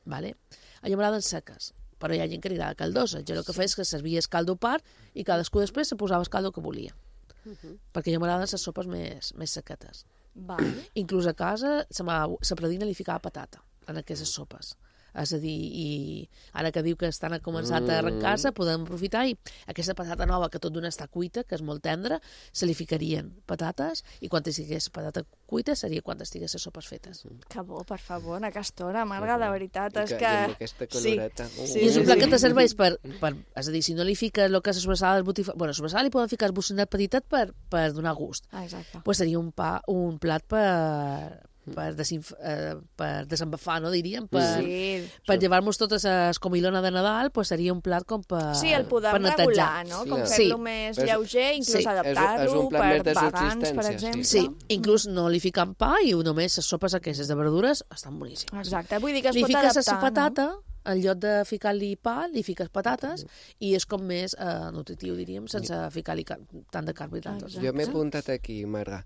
[SPEAKER 5] Vale? Allò m'agraden seques, però hi ha gent que li agrada caldosa. Jo el que feia és que servia el caldo a part i cadascú després se posava el caldo que volia. Uh -huh. Perquè jo m'agraden les sopes més, més sequetes.
[SPEAKER 2] Vale.
[SPEAKER 5] Inclús a casa la predina li ficava patata en aquestes sopes. És a dir, i ara que diu que estan a començat a arrencar-se, podem aprofitar i aquesta patata nova que tot d'una està cuita, que és molt tendra, se li ficarien patates i quan estigués patata cuita seria quan estigués les sopes fetes.
[SPEAKER 2] Que bo, per favor, a aquesta hora, Marga, de veritat, és
[SPEAKER 4] I que...
[SPEAKER 2] que...
[SPEAKER 4] I amb aquesta coloreta.
[SPEAKER 2] Sí.
[SPEAKER 4] Uh.
[SPEAKER 5] Sí, I és un plat que te serveix per, per... És a dir, si no li fiques el que és sobrassada, el botifar... Bueno, sobrassada li poden ficar el bocinat petitet per, per donar gust.
[SPEAKER 2] Ah, exacte.
[SPEAKER 5] Pues seria un, pa, un plat per... per, desinf... eh, per desembafar, no diríem? Per,
[SPEAKER 2] sí.
[SPEAKER 5] per llevar-nos totes a comilona de Nadal, pues seria un plat com per
[SPEAKER 2] Sí, el podem
[SPEAKER 5] per
[SPEAKER 2] regular, no? Com
[SPEAKER 5] sí.
[SPEAKER 2] fer-lo més lleuger, inclús
[SPEAKER 5] sí.
[SPEAKER 2] adaptar-lo per vegans, per exemple.
[SPEAKER 5] Sí, inclús no li fiquen pa i només les sopes aquestes de verdures estan boníssimes.
[SPEAKER 2] Exacte, vull dir que es
[SPEAKER 5] li
[SPEAKER 2] pot
[SPEAKER 5] adaptar. Li
[SPEAKER 2] fiques
[SPEAKER 5] fiques la patata, no? En lloc de ficar-li pa, li fiques patates i és com més eh, nutritiu, diríem, sense ficar-li tant de carbohidrats.
[SPEAKER 4] Jo m'he apuntat aquí, Marga.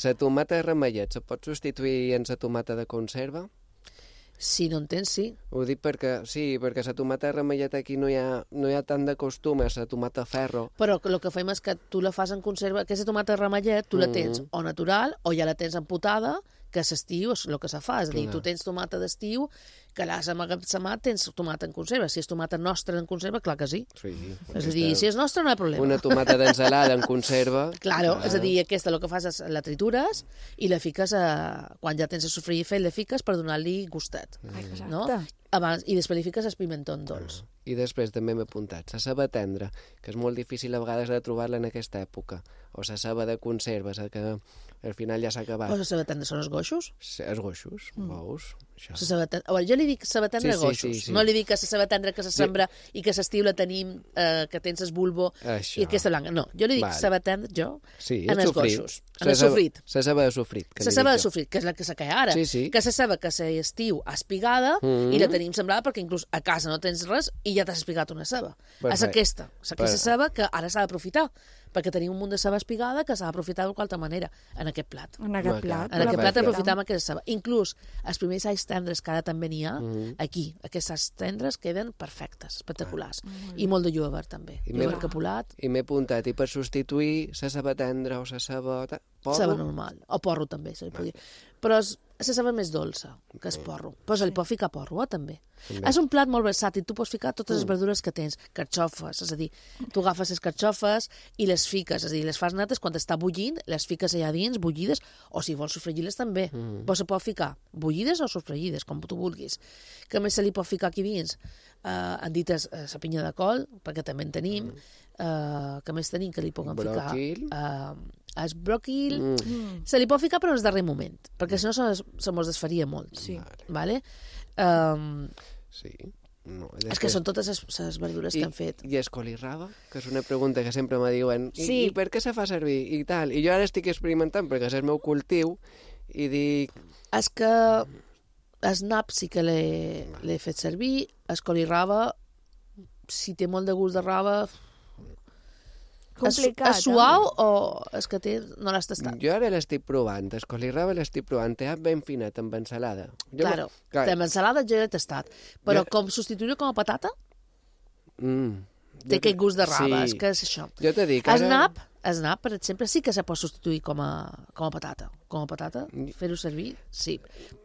[SPEAKER 4] La tomata de ramellet se pot substituir en la tomata de conserva?
[SPEAKER 5] Si no en tens, sí.
[SPEAKER 4] Ho dic perquè, sí, perquè la tomata de ramellet aquí no hi ha, no hi ha tant de costum, és la tomata ferro.
[SPEAKER 5] Però el que fem és que tu la fas en conserva, aquesta tomata de ramellet tu la tens o natural o ja la tens empotada, que s'estiu és el que se fa, és a dir, tu tens tomata d'estiu que l'has amagatzemat, tens tomata en conserva. Si és tomata nostra en conserva, clar que sí.
[SPEAKER 4] Sí.
[SPEAKER 5] És a dir, si és nostra no hi ha problema.
[SPEAKER 4] Una tomata d'ensalada en conserva.
[SPEAKER 5] Claro, ah. és a dir, aquesta el que fas és la tritures i la fiques, a... quan ja tens el sofregit fet, la fiques per donar-li gustet.
[SPEAKER 2] Exacte.
[SPEAKER 5] No? Abans, i després li fiques el pimentó dolç.
[SPEAKER 4] I després també m'he apuntat la ceba tendra, que és molt difícil a vegades de trobar-la en aquesta època. O la ceba de conserva, que al final ja s'ha acabat.
[SPEAKER 5] O la ceba tendra són els goixos?
[SPEAKER 4] Sí, els goixos, mm. veus?
[SPEAKER 5] Això. Bueno, jo li dic ceba tendra
[SPEAKER 4] sí,
[SPEAKER 5] goixos,
[SPEAKER 4] sí, sí, sí.
[SPEAKER 5] no li dic que la ceba tendra que se sembra sí. i que s'estiu la tenim, eh, que tens el bulbo
[SPEAKER 4] Això.
[SPEAKER 5] i aquesta blanca. No, jo li dic vale. ceba tendra, jo,
[SPEAKER 4] sí,
[SPEAKER 5] en els
[SPEAKER 4] sofrit.
[SPEAKER 5] goixos, en el sofrit.
[SPEAKER 4] La ceba de sofrit.
[SPEAKER 5] La ceba de sofrit, que és la que se caia ara.
[SPEAKER 4] Sí, sí.
[SPEAKER 5] Que se ceba que s'estiu espigada mm. i la tenim sembrada perquè inclús a casa no tens res i ja t'has espigat una ceba. Perfecte. És aquesta, és aquesta ceba que ara s'ha d'aprofitar, perquè tenim un munt de ceba espigada que s'ha d'aprofitar de qualque manera en aquest plat.
[SPEAKER 2] En aquest plat.
[SPEAKER 5] En aquest plat aprofitam aquesta ceba. Inclús els primers alls tendres que ara també n'hi ha, mm. aquí, aquests alls tendres queden perfectes, espectaculars. Ah. I molt de julivert també. Julivert capulat.
[SPEAKER 4] I m'he apuntat, i per substituir la ceba tendra o la ceba... Porro?
[SPEAKER 5] Ceba normal. O porro també, se li podria. Però és, la ceba més dolça, que és porro. Però se li pot ficar porro, eh, també. també. És un plat molt versàtil. Tu pots ficar totes les verdures que tens. Carxofes, és a dir, tu agafes les carxofes i les fiques, és a dir, les fas nates quan està bullint, les fiques allà dins, bullides, o si vols sofregir-les també. Mm. Però se pot ficar bullides o sofregides, com tu vulguis. Que més se li pot ficar aquí dins? Uh, han dit la uh, pinya de col, perquè també en tenim. Mm. Uh, que més tenim que li puguem
[SPEAKER 4] bròquil.
[SPEAKER 5] ficar? Uh, el bròquil mm. se li pot ficar però en el darrer moment, perquè si no se, se mos desfaria molt.
[SPEAKER 2] Sí.
[SPEAKER 5] Vale? Um,
[SPEAKER 4] sí. No,
[SPEAKER 5] és que són totes les verdures
[SPEAKER 4] I,
[SPEAKER 5] que han fet.
[SPEAKER 4] I el colirraba, que és una pregunta que sempre me diuen, I,
[SPEAKER 5] sí.
[SPEAKER 4] i per què se fa servir? I tal. I jo ara estic experimentant perquè és el meu cultiu i dic...
[SPEAKER 5] És que el nap sí que l'he fet servir, el coliraba, si té molt de gust de raba...
[SPEAKER 2] Complicat,
[SPEAKER 5] és, és suau eh? o és que té, no l'has tastat?
[SPEAKER 4] Jo ara l'estic provant, el coliraba l'estic provant, té ben finet amb ensalada. Jo
[SPEAKER 5] claro,
[SPEAKER 4] clar.
[SPEAKER 5] amb ensalada jo l'he tastat, però jo... com substituir-ho com a patata?
[SPEAKER 4] Mm.
[SPEAKER 5] Té jo... aquest gust de raba,
[SPEAKER 4] sí.
[SPEAKER 5] és que és això.
[SPEAKER 4] Jo t'he dit,
[SPEAKER 5] ara...
[SPEAKER 4] Snap,
[SPEAKER 5] Snap, per exemple, sí que se pot substituir com a, com a patata. Com a patata, fer-ho servir, sí.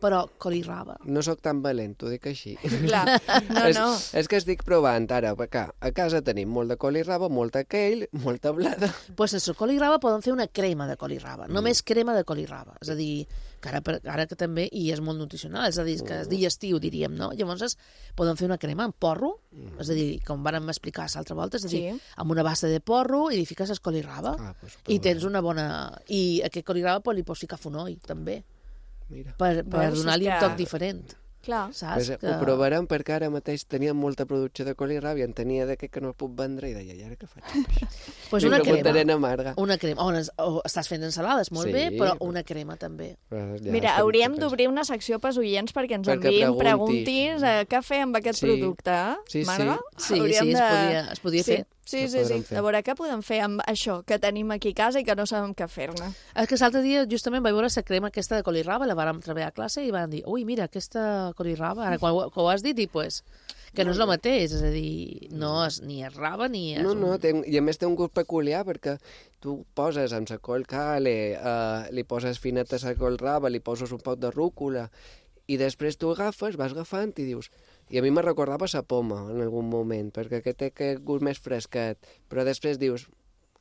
[SPEAKER 5] Però coliraba...
[SPEAKER 4] No sóc tan valent, t'ho dic així.
[SPEAKER 2] Clar, no,
[SPEAKER 4] és,
[SPEAKER 2] no.
[SPEAKER 4] És que estic provant ara, perquè a casa tenim molt de coliraba, molta kale, molta blada...
[SPEAKER 5] Doncs pues sense coliraba podem fer una crema de coliraba, mm. només crema de coliraba. És a dir, que ara, ara que també, i és molt nutricional, és a dir, que és digestiu, diríem, no? Llavors podem fer una crema amb porro, mm. és a dir, com vàrem explicar l'altra volta, és a dir, sí. amb una bassa de porro i li fiques el coliraba ah, pues, i tens una bona... I aquest coliraba pues, li pots ficar fonoll, també.
[SPEAKER 4] Mira.
[SPEAKER 5] Per, per donar-li un toc diferent.
[SPEAKER 2] Clar.
[SPEAKER 5] Saps?
[SPEAKER 4] Pues,
[SPEAKER 5] que...
[SPEAKER 4] Ho provarem perquè ara mateix tenia molta producció de colirrab i en tenia d'aquest que no puc vendre i deia, i ara què faig amb això?
[SPEAKER 5] Pues una crema.
[SPEAKER 4] Amarga.
[SPEAKER 5] Una crema. O, o estàs fent ensalades, molt
[SPEAKER 4] Sí.
[SPEAKER 5] bé, però una crema també.
[SPEAKER 4] Ja
[SPEAKER 2] Mira, hauríem d'obrir una secció pels oients perquè ens
[SPEAKER 4] Perquè
[SPEAKER 2] enviïn
[SPEAKER 4] preguntis.
[SPEAKER 2] preguntis eh, què fer amb aquest
[SPEAKER 4] Sí.
[SPEAKER 2] producte. eh?
[SPEAKER 4] Sí, sí.
[SPEAKER 2] Marga?
[SPEAKER 5] Sí,
[SPEAKER 2] Hauríem
[SPEAKER 5] sí, es podia- es podia
[SPEAKER 2] sí.
[SPEAKER 5] fer.
[SPEAKER 2] Sí,
[SPEAKER 4] Ho
[SPEAKER 2] sí, sí.
[SPEAKER 4] podrem fer.
[SPEAKER 2] A veure, què podem fer amb això que tenim aquí a casa i que no sabem què fer-ne?
[SPEAKER 5] És que l'altre dia justament vaig veure la crema aquesta de colirraba, la vàrem treballar a classe i van dir, ui, mira, aquesta colirraba, ara quan, ho- quan ho has dit, i pues, que no és el mateix, és a dir, no és, ni és raba ni és...
[SPEAKER 4] No,
[SPEAKER 5] un-
[SPEAKER 4] no, té, i a més té un gust peculiar perquè tu poses amb la col cale, uh, li poses fineta a la col raba, li poses un poc de rúcula i després tu agafes, vas agafant i dius... I a mi me recordava la poma en algun moment, perquè aquest té aquest gust més fresquet, però després dius...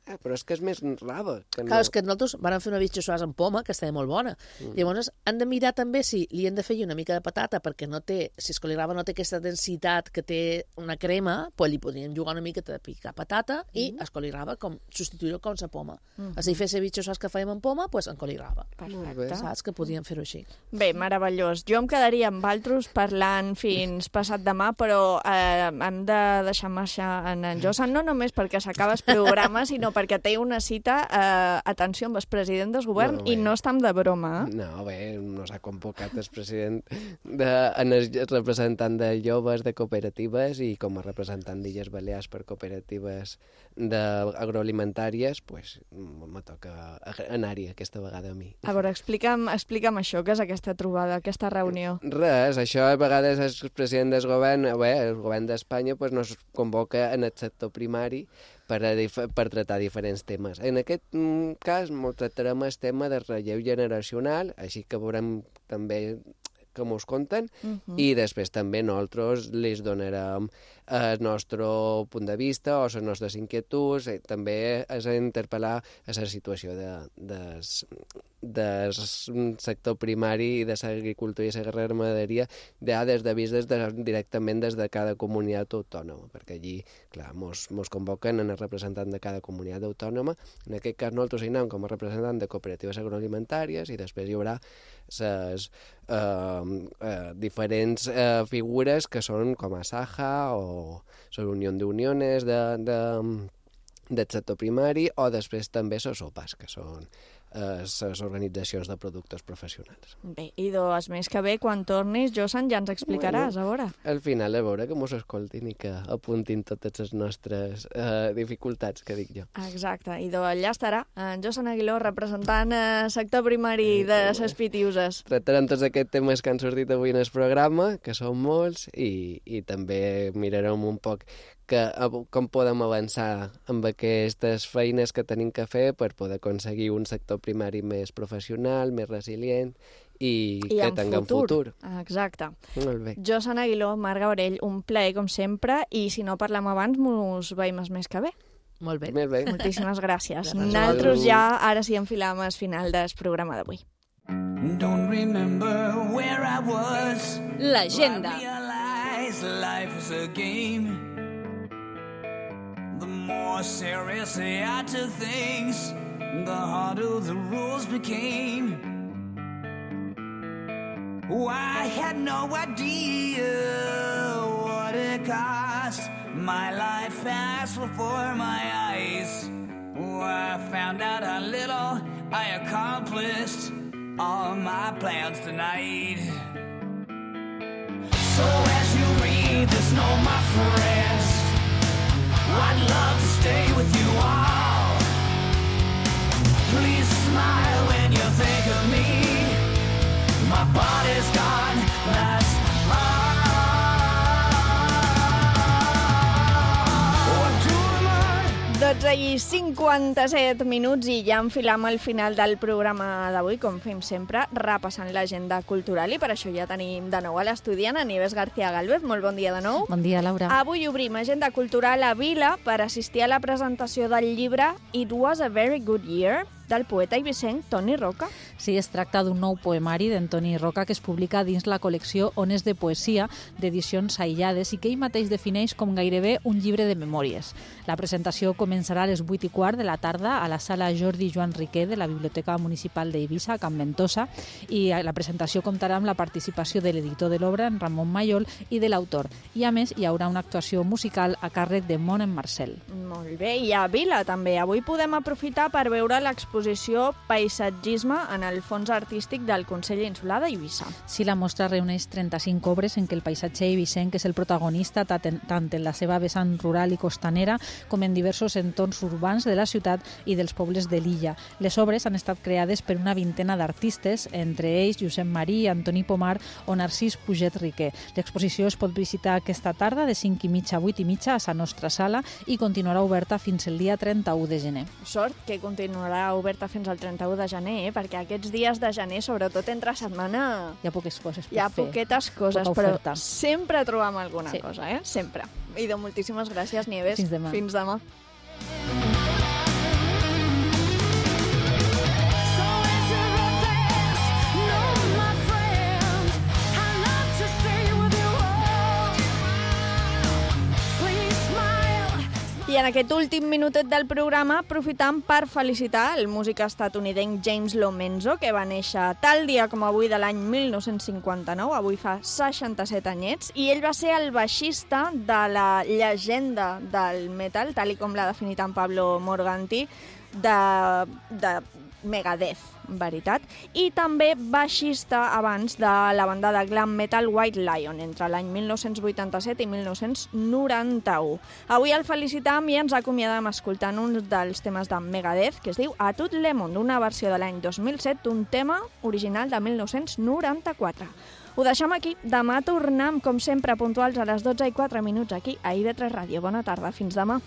[SPEAKER 4] Eh, però és que és més raba. Que no...
[SPEAKER 5] Clar, és que nosaltres vam fer una bitxossars amb poma, que estava molt bona.
[SPEAKER 4] Mm.
[SPEAKER 5] Llavors, han de mirar també si li hem de fer una mica de patata, perquè no té, si es colirava no té aquesta densitat que té una crema, pues li podríem jugar una mica de picar patata i
[SPEAKER 2] Mm.
[SPEAKER 5] es colirava com, substituir-ho com la poma.
[SPEAKER 2] Mhm.
[SPEAKER 5] Així fer la bitxossars que fèiem amb poma, pues en colirava.
[SPEAKER 2] Perfecte.
[SPEAKER 5] Saps que podíem fer-ho així.
[SPEAKER 2] Bé, meravellós. Jo em quedaria amb altres parlant fins passat demà, però eh, hem de deixar marxar en en Josan, no només perquè s'acaba el programa, sinó perquè té una cita, eh, atenció, amb el president del govern,
[SPEAKER 4] No,
[SPEAKER 2] i
[SPEAKER 4] bé.
[SPEAKER 2] no estem de broma. Eh?
[SPEAKER 4] No, bé, no s'ha convocat el president de, en el representant de joves de cooperatives i com a representant d'Illes Balears per cooperatives d'agroalimentàries, pues, me toca anar-hi aquesta vegada a mi.
[SPEAKER 2] A veure, explica'm, explica'm això, què és aquesta trobada, aquesta reunió?
[SPEAKER 4] Res, això a vegades el president del govern, bé, el govern d'Espanya pues, nos convoca en el sector primari per, a dif per tractar diferents temes. En aquest mm, cas molt tractarem el tema del relleu generacional, així que veurem també com us conten,
[SPEAKER 2] Mhm.
[SPEAKER 4] i després també nosaltres les donarem el nostre punt de vista o les nostres inquietuds, i també és a interpel·lar a la situació de, des, del sector primari i de l'agricultura i la ramaderia ja des de vist des de, directament des de cada comunitat autònoma, perquè allí, clar, mos, mos convoquen en el representant de cada comunitat autònoma. En aquest cas nosaltres hi anem com a representant de cooperatives agroalimentàries i després hi haurà les eh, eh, diferents eh, figures que són com a Saja o la Unió d'Uniones de, de, del sector primari o després també les O P As, que són les organitzacions de productors professionals.
[SPEAKER 2] Bé, i dos més que bé, quan tornis, Josan, ja ens explicaràs, a veure.
[SPEAKER 4] Al final, a veure que mos escoltin i que apuntin totes les nostres eh, dificultats, que dic jo.
[SPEAKER 2] Exacte, i allà estarà en Josan Aguiló representant el sector primari de les Pitiuses.
[SPEAKER 4] Tractarem tots aquests temes que han sortit avui en el programa, que són molts, i, i també mirarem un poc que, com podem avançar amb aquestes feines que tenim que fer per poder aconseguir un sector primari més professional, més resilient i,
[SPEAKER 2] I
[SPEAKER 4] que
[SPEAKER 2] en
[SPEAKER 4] tinguem
[SPEAKER 2] futur.
[SPEAKER 4] futur.
[SPEAKER 2] Exacte.
[SPEAKER 4] Molt bé.
[SPEAKER 2] Josan Aguiló, Marga Orell, un plaer com sempre, i si no parlem abans, mos veiem el mes que ve.
[SPEAKER 5] Molt bé.
[SPEAKER 4] Molt bé.
[SPEAKER 2] Moltíssimes gràcies.
[SPEAKER 4] Gràcies.
[SPEAKER 2] Nosaltres ja, ara sí, enfilam al final del programa d'avui.
[SPEAKER 6] Don't remember where I was.
[SPEAKER 15] L'agenda.
[SPEAKER 6] I realize life is a game. The more seriously I took things, the harder the rules became. Oh, I had no idea what it cost. My life passed before my eyes. Oh, I found out how little I accomplished. All my plans tonight. So as you read this note, my friends, I'd love to stay with you all. Please smile when you think of me. My body's gone, that's
[SPEAKER 2] dotze i cinquanta-set minuts i ja enfilam al final del programa d'avui, com fem sempre, repassant l'agenda cultural, i per això ja tenim de nou a l'estudiant, a Nieves García Galvez. Molt bon dia de nou.
[SPEAKER 3] Bon dia, Laura.
[SPEAKER 2] Avui obrim agenda cultural a Vila per assistir a la presentació del llibre It Was a Very Good Year, del poeta eivissenc Toni Roca.
[SPEAKER 3] Sí, es tracta d'un nou poemari d'Antoni Roca que es publica dins la col·lecció Ones de Poesia d'edicions aïllades i que ell mateix defineix com gairebé un llibre de memòries. La presentació començarà a les vuit i quart de la tarda a la sala Jordi Joan Riquer de la Biblioteca Municipal d'Eivissa, a Can Ventosa, i la presentació comptarà amb la participació de l'editor de l'obra, en Ramon Mayol, i de l'autor. I a més, hi haurà una actuació musical a càrrec de Mon en Marcel.
[SPEAKER 2] Molt bé, i a Vila també. Avui podem aprofitar per veure l'exposició Paisatgisme en el Fons Artístic del Consell Insular d'Eivissa.
[SPEAKER 3] Sí, la mostra reuneix trenta-cinc obres en què el paisatge eivissenc és el protagonista tant en la seva vessant rural i costanera com en diversos entorns urbans de la ciutat i dels pobles de l'illa. Les obres han estat creades per una vintena d'artistes, entre ells Josep Marí, Antoni Pomar o Narcís Puget Riquer. L'exposició es pot visitar aquesta tarda de cinc i mitja a vuit i mitja a la nostra sala i continuarà oberta fins el dia trenta-u de gener.
[SPEAKER 2] Sort que continuarà oberta fins al trenta-u de gener, eh? Perquè aquests dies de gener, sobretot entre setmana...
[SPEAKER 3] Hi ha poques coses per
[SPEAKER 2] Hi ha
[SPEAKER 3] fer.
[SPEAKER 2] poquetes coses,
[SPEAKER 3] Poca
[SPEAKER 2] però
[SPEAKER 3] oferta.
[SPEAKER 2] sempre trobam alguna
[SPEAKER 3] Sí.
[SPEAKER 2] cosa, eh? Sempre. Idò, moltíssimes gràcies, Nieves.
[SPEAKER 3] Fins demà.
[SPEAKER 2] Fins demà. I en aquest últim minutet del programa aprofitam per felicitar el músic estatunidenc James Lomenzo, que va néixer tal dia com avui de l'any mil nou-cents cinquanta-nou, avui fa seixanta-set anyets, i ell va ser el baixista de la llegenda del metal, tal i com l'ha definit en Pablo Morganti, de, de Megadeth, veritat, i també baixista abans de la banda de glam metal White Lion, entre l'any mil nou-cents vuitanta-set i mil nou-cents noranta-u. Avui el felicitam i ens acomiadam escoltant un dels temes de Megadeth, que es diu A Tout le monde, una versió de l'any dos mil set d'un tema original de mil nou-cents noranta-quatre. Ho deixem aquí. Demà tornem, com sempre, puntuals a les dotze i quatre minuts aquí a I V tres Ràdio. Bona tarda. Fins demà.